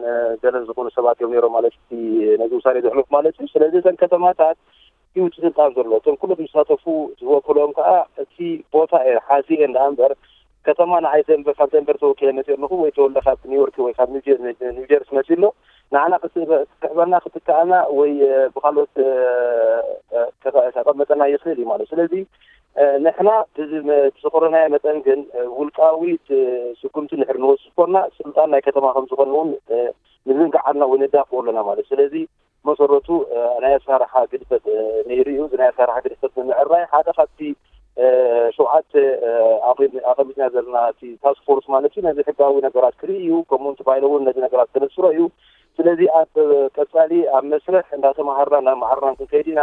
ገለን ዝኾኑ ሰባት እዮም ነይሮም ማለት እቲ ነዚ ውሳኔ ዘሕለፉ ማለት እዩ። ስለዚ እተን ከተማታት እዩ እቲ ስልጣን ዘሎ። እቶም ኩሎም ዝሳተፉ ዝወክሎም ከዓ እቲ ቦታ እየ ሓዚ እየ እንዳ እምበር ከተማ ንዓይ ደንበር ካብ ደንበር ተወኪለ መፅእ ኣለኹ ወይ ተወለ ካብ ኒውዮርክ ወይ ካብ ኒውጀርሲ መፅእ ኣሎ ንዓና ክትሕበና ክትከኣና ወይ ብካልኦት ከቐመጠና ይኽእል እዩ ማለት ስለዚ ንሕና ብዝቆረናዮ መጠን ግን ውልቃዊ ስጉምቲ ንሕር ንወስድ ኮና ስልጣን ናይ ከተማ ከም ዝኾነ እውን ንዝንግዓልና ወይ ነዳፍኦ ኣለና ማለት ስለዚ መሰረቱ ናይ ኣሰራርሓ ግድፈት ነይሩ እዩ። እዚ ናይ ኣሰራርሓ ግድፈት ንምዕራይ ሓደ ካብቲ ሸውዓተ ኣቐሚጥና ዘለና እቲ ታስክ ፎርስ ማለት እዩ ነዚ ሕጋዊ ነገራት ክርኢ እዩ። ከምኡ ባይሎ እውን ነዚ ነገራት ከነስሮ እዩ። ስለዚ ኣብ ቀፃሊ ኣብ መስርሕ እንዳተማሃርና እንዳመሃርና ክንከይድ ኢና።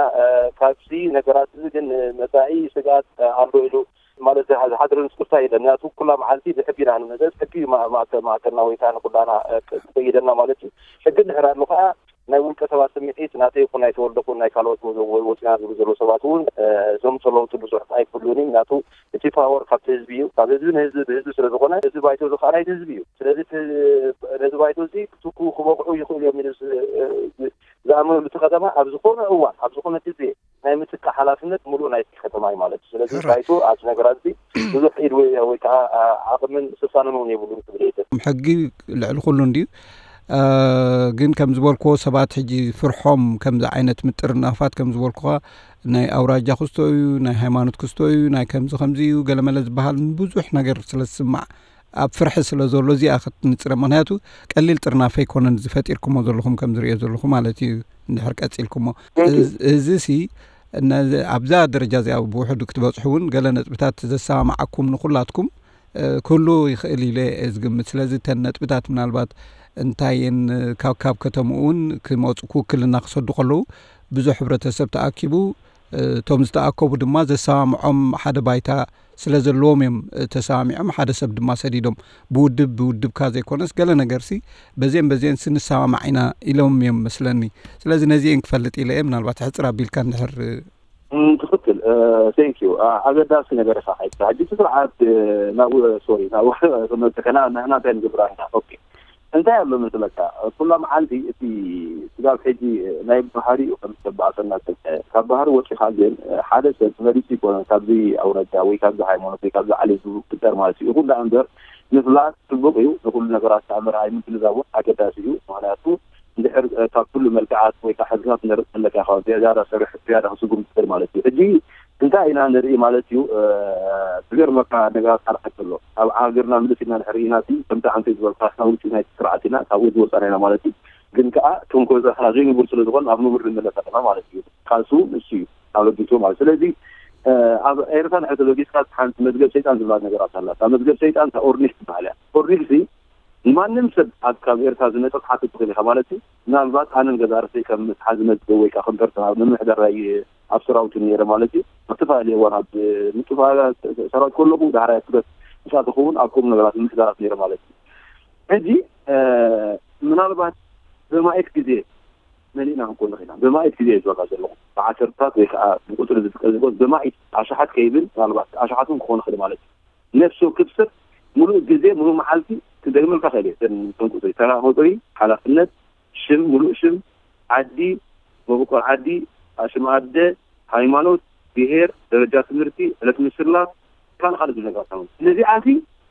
ካብዚ ነገራት እዚ ግን መፃኢ ስግኣት ኣሎ ኢሉ ማለት ዝሓድርን ስክፍታ የለን። ምክንያቱ ኩላ መዓልቲ ብሕጊ ኢና ንመዘዝ፣ ሕጊ እዩ ማእከልና ወይ ከዓ ንኩላና ክፈይደና ማለት እዩ። ሕጊ እንድሕር ኣሎ ከዓ ናይ ውልቀ ሰባት ስምዒት ናተይ ይኹን ናይ ተወልደ ይኹን ናይ ካልኦት ወፂና ዝብሉ ዘለዉ ሰባት እውን ዘምፅኦ ለውጢ ብዙሕ ኣይክህሉን እዩ። ምክንያቱ እቲ ፓወር ካብቲ ህዝቢ እዩ። ካብ ህዝቢ ንህዝቢ ብህዝቢ ስለ ዝኾነ እዚ ባይቶ እዚ ከዓ ናይቲ ህዝቢ እዩ። ስለዚ ነዚ ባይቶ እዚ ክትኩ ክበቕዑ ይኽእሉ እዮም ኢሉ ዝኣምነሉ እቲ ከተማ ኣብ ዝኾነ እዋን ኣብ ዝኾነ ግዜ ናይ ምትካእ ሓላፍነት ሙሉእ ናይቲ ከተማ እዩ ማለት እዩ። ስለዚ ባይቶ ኣብዚ ነገራት እዚ ብዙሕ ኢድ ወይ ወይ ከዓ ዓቕምን ስልጣንን እውን የብሉን ክብል እየ። ሕጊ ልዕሊ ኩሉ እንድዩ። ግን ከም ዝበልክዎ ሰባት ሕጂ ፍርሖም ከምዚ ዓይነት ምጥርናፋት ከም ዝበልኩኻ ናይ ኣውራጃ ክስቶ እዩ፣ ናይ ሃይማኖት ክስቶ እዩ፣ ናይ ከምዚ ከምዚ እዩ ገለመለ ዝበሃል ብዙሕ ነገር ስለ ዝስማዕ ኣብ ፍርሒ ስለ ዘሎ እዚኣ ክትንፅረ ምክንያቱ ቀሊል ጥርናፈ ኣይኮነን ዝፈጢርኩሞ ዘለኹም ከም ዝሪኦ ዘለኹ ማለት እዩ። እንድሕር ቀፂልኩሞ እዚ ሲ ኣብዛ ደረጃ እዚኣ ብውሕዱ ክትበፅሑ እውን ገለ ነጥብታት ዘሰማማዓኩም ንኩላትኩም ክህሉ ይኽእል ኢለ እየ ዝግምት። ስለዚ እተን ነጥብታት ምናልባት እንታይ እየን ካብ ካብ ከተምኡ እውን ክመፁ ክውክልና ክሰዱ ከለዉ ብዙሕ ሕብረተሰብ ተኣኪቡ እቶም ዝተኣከቡ ድማ ዘሰማምዖም ሓደ ባይታ ስለ ዘለዎም እዮም ተሰማሚዖም ሓደ ሰብ ድማ ሰዲዶም ብውድብ ብውድብካ ዘይኮነስ ገለ ነገርሲ በዜን በዜንሲ ንሰማማዕ ኢና ኢሎም እዮም መስለኒ። ስለዚ ነዚኤን ክፈልጥ ኢለ እየ ምናልባት ሕፅር ኣቢልካ እንድሕር ትኽክል። ቴንክ ዩ። ኣገዳሲ ነገር ኢኻ ሓይካ ሕጂ እቲ ስርዓት ናብኡ ሶሪ ናብኡ ክመፅእ ከና ንሕና እንታይ ንገብራ ኢና? ኦኬ እንታይ ኣሎ መስለካ ኩላ መዓልቲ እቲ ስጋብ ሕጂ ናይ ባህሪኡ ከም ዝተባእሰና ዝሰምዐ ካብ ባህሪ ወፂኻ ግን ሓደ ሰብ መሪፁ ይኮነ ካብዚ ኣውረጃ ወይ ካብዚ ሃይማኖት ወይ ካብዚ ዓሌት ዝፍጠር ማለት እዩ። ይኹን ዳ እምበር ምፍላጥ ፅቡቅ እዩ። ንኩሉ ነገራት ኣምር ኣይምግንዛብ እውን ኣገዳሲ እዩ። ምክንያቱ እንድሕር ካብ ኩሉ መልክዓት ወይ ከዓ ሕግታት ነርእ ከለካ ካብ ዝያዳ ሰርሕ ዝያዳ ክስጉም ትኽእል ማለት እዩ። ሕጂ እንታይ ኢና ንርኢ ማለት እዩ። ዝገርመካ ነገራት ካልዓት ኣሎ ኣብ ሃገርና ምልስ ኢልና ንሕር ኢና ከምቲ ዓንተ ዝበልካ ካብ ውጭ ናይ ስርዓት ኢና ካብኡ ዝወፃና ኢና ማለት እዩ። ግን ከዓ ከም ኮዛ ከዓ ዘይንቡር ስለ ዝኾን ኣብ ንቡር ንመለስ ኣለና ማለት እዩ። ካልሱ ንሱ እዩ ኣበጊሱ ማለት ስለዚ ኣብ ኤርትራ ንሕር ተበጊስካ ሓንቲ መዝገብ ሰይጣን ዝብላ ነገራት ኣላ። እታ መዝገብ ሰይጣን እታ ኦርኒክ ትበሃል እያ። ኦርኒክ ሲ ንማንም ሰብ ኣብ ካብ ኤርትራ ዝመፀ ትሓትት ትኽእል ኢኻ ማለት እዩ። ምናልባት ኣነን ገዛ ርእሰይ ከም መትሓዚ መዝገብ ወይ ከዓ ከም ፐርሰናል ምምሕዳር ናይ ኣብ ሰራዊት ነይረ ማለት እዩ። ኣብ ዝተፈላለዩ እዋን ኣብ ምጡፋ ሰራዊት ከለኹ ዳሕራይ ክበት ምሳት ክኸውን ኣብ ከምኡ ነገራት ምምሕዳራት ነይረ ማለት እዩ። ሕጂ ምናልባት በማየት ግዜ መሊእና ክንኮን ንኽእልና በማየት ግዜ ዝበካ ዘለኹ ብዓሰርታት ወይ ከዓ ብቁፅሪ ዝጥቀስ ዝኾን በማየት ኣሽሓት ከይብል ምናልባት ኣሽሓት እውን ክኾን ይኽእል ማለት እዩ። ነፍሲ ወከፍ ሰብ ሙሉእ ግዜ ሙሉእ መዓልቲ ክደግመልካ ክእል እየ። እተን እተን ቁፅሪ ተራ ቁፅሪ ሓላፍነት ሽም ሙሉእ ሽም ዓዲ መበቆል ዓዲ ሽም ኣደ ሃይማኖት ብሄር ደረጃ ትምህርቲ ዕለት ምስላፍ ካልእ ካልእ ዝብል ነገራት ኣለዉ። ነዚኣሲ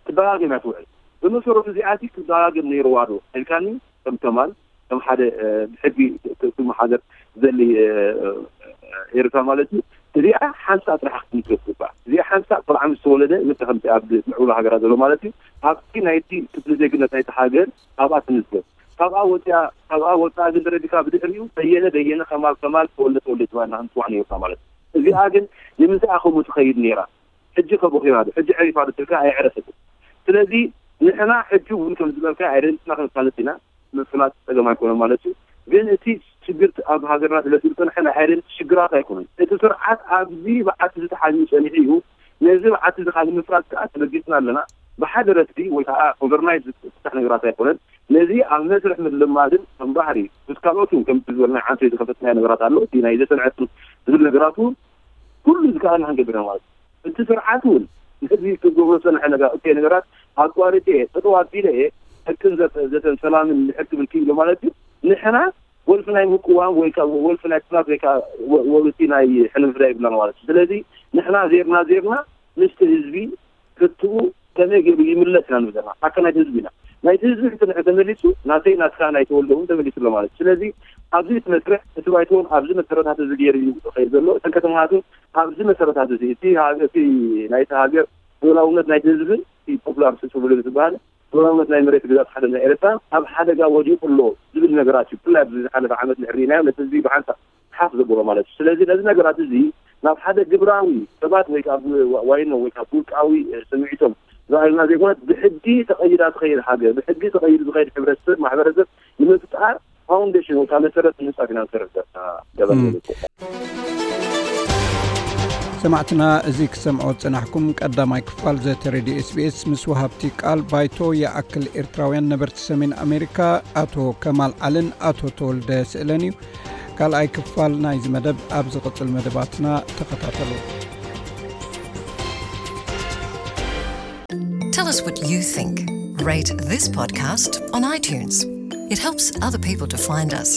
ክደጋገም እያ ትውዕል። ብመሰረቱ እዚኣሲ ክደጋገም ነይርዋ ዶ ኢልካኒ ከም ከማል ከም ሓደ ብሕጊ ክመሓደር ዘሊ ኤርትራ ማለት እዩ። እዚኣ ሓንሳእ ጥራሕ ክትምስረት ትግባእ። እዚኣ ሓንሳእ ቆልዓ ምስ ተወለደ ልክዕ ከምቲ ኣብ ምዕቡላ ሃገራት ዘሎ ማለት እዩ። ኣብቲ ናይቲ ክፍሊ ዜግነት ናይቲ ሃገር ኣብኣ ትምዝገብ። ካብኣ ወፂኣ ካብኣ ወፃኣ ግን ተረዲካ ብድሕሪኡ በየነ በየነ ከማል ከማል ተወልደ ተወልደ ተባሂልና ክንፅዋዕ ነይሩና ማለት እዩ። እዚኣ ግን ንምንታይ ከምኡ ትኸይድ ነይራ? ሕጂ ከቦኺራ ዶ ሕጂ ዕሪፋ ዶ ትልካ ኣየዕረፈትን። ስለዚ ንሕና ሕጂ እውን ከም ዝበልካ ኣይደንትና ክንፋለጥ ኢና። ምፍላጥ ፀገም ኣይኮነን ማለት እዩ። ግን እቲ ችግር ኣብ ሃገርና ስለ ዝፀንሐ ናይ ኣይደንት ሽግራት ኣይኮነን። እቲ ስርዓት ኣብዚ በዓቲ ዝተሓዝዩ ፀኒሑ እዩ። ነዚ በዓቲ እዚ ካብ ንምፍራስ ከዓ ተበጊስና ኣለና። ብሓደ ረትዲ ወይ ከዓ ኦቨርናይት ዝፍታሕ ነገራት ኣይኮነን። ነዚ ኣብ መስርሕ ምልማድን ከም ባህሪ ምስ ካልኦት እውን ከምቲ ዝበልና ዓንተ ዝኸፈትናዮ ነገራት ኣሎ። እቲ ናይ ዘሰንዐት ዝብል ነገራት እውን ኩሉ ዝከኣልና ክንገብር ኢና ማለት እዩ። እቲ ስርዓት እውን ነዚ ክገብሮ ዝፀንሐ ነገር እከይ ነገራት ኣቋሪፀ እየ ጠጠው ኣቢለ እየ ሕቅን ዘተ- ዘተን ሰላምን ንድሕር ክብል ክኢሎ ማለት እዩ። ንሕና ወልፊ ናይ ምቅዋም ወይ ከዓ ወልፊ ናይ ኩናት ወይ ከዓ ወ- ወልፊ ናይ ሕነ ምፍዳይ ይብላን ማለት እዩ። ስለዚ ንሕና ዜርና ዜርና ምስቲ ህዝቢ ሕትኡ ከመይ ገይሩ ይምለስ ኢና ንብል ዘለና ሓካ ናይቲ ህዝቢ ኢና። ናይቲ ህዝቢ ሕቶ ንሕ ተመሊሱ ናተይ ናትካ ናይ ተወልደ እውን ተመሊሱ ኣሎ ማለት እዩ። ስለዚ ኣብዚ እቲ መስርሕ እቲ ባይቶ እውን ኣብዚ መሰረታት እዚ ገይሩ እዩ ዝኸይድ ዘሎ። እተን ከተማታት እውን ኣብዚ መሰረታት እዚ እቲ ሃገ- እቲ ናይቲ ሃገር ልኡላውነት ናይቲ ህዝብን እቲ ፖፑላር ስብሉ ዝበሃል ልኡላውነት ናይ መሬት ግዛት ሓደ ናይ ኤርትራ ኣብ ሓደጋ ወዲቑ ኣሎ ዝብል ነገራት እዩ። ብፍላይ ኣብዚ ዝሓለፈ ዓመት ንሕር ርኢናዮ ነቲ ህዝቢ ብሓንሳብ ሓፍ ዘብሎ ማለት እዩ። ስለዚ ነዚ ነገራት እዚ ናብ ሓደ ግብራዊ ሰባት ወይ ካብ ዋይኖ ወይ ካብ ውልቃዊ ስምዒቶም ዝኣልና ዜጎናት ብሕጊ ተቐይዳ ትኸይድ ሃገር፣ ብሕጊ ተቐይዱ ዝኸይድ ሕብረተሰብ፣ ማሕበረሰብ ንምፍጣር ፋውንዴሽን ወይ ከዓ መሰረት ንምንፃፍ ኢና ንሰርሕ ዘለና። ገበን ሰማዕትና፣ እዚ ክሰምዖ ዝጸናሕኩም ቀዳማይ ክፋል ዘተ ሬድዮ ኤስቢኤስ ምስ ወሃብቲ ቃል ባይቶ ይኣክል ኤርትራውያን ነበርቲ ሰሜን ኣሜሪካ ኣቶ ከማል ዓልን ኣቶ ተወልደ ስእለን እዩ። ካልኣይ ክፋል ናይዚ መደብ ኣብ ዝቕጽል መደባትና ተኸታተሉ። Tell us what you think. Rate this podcast on iTunes. It helps other people to find us.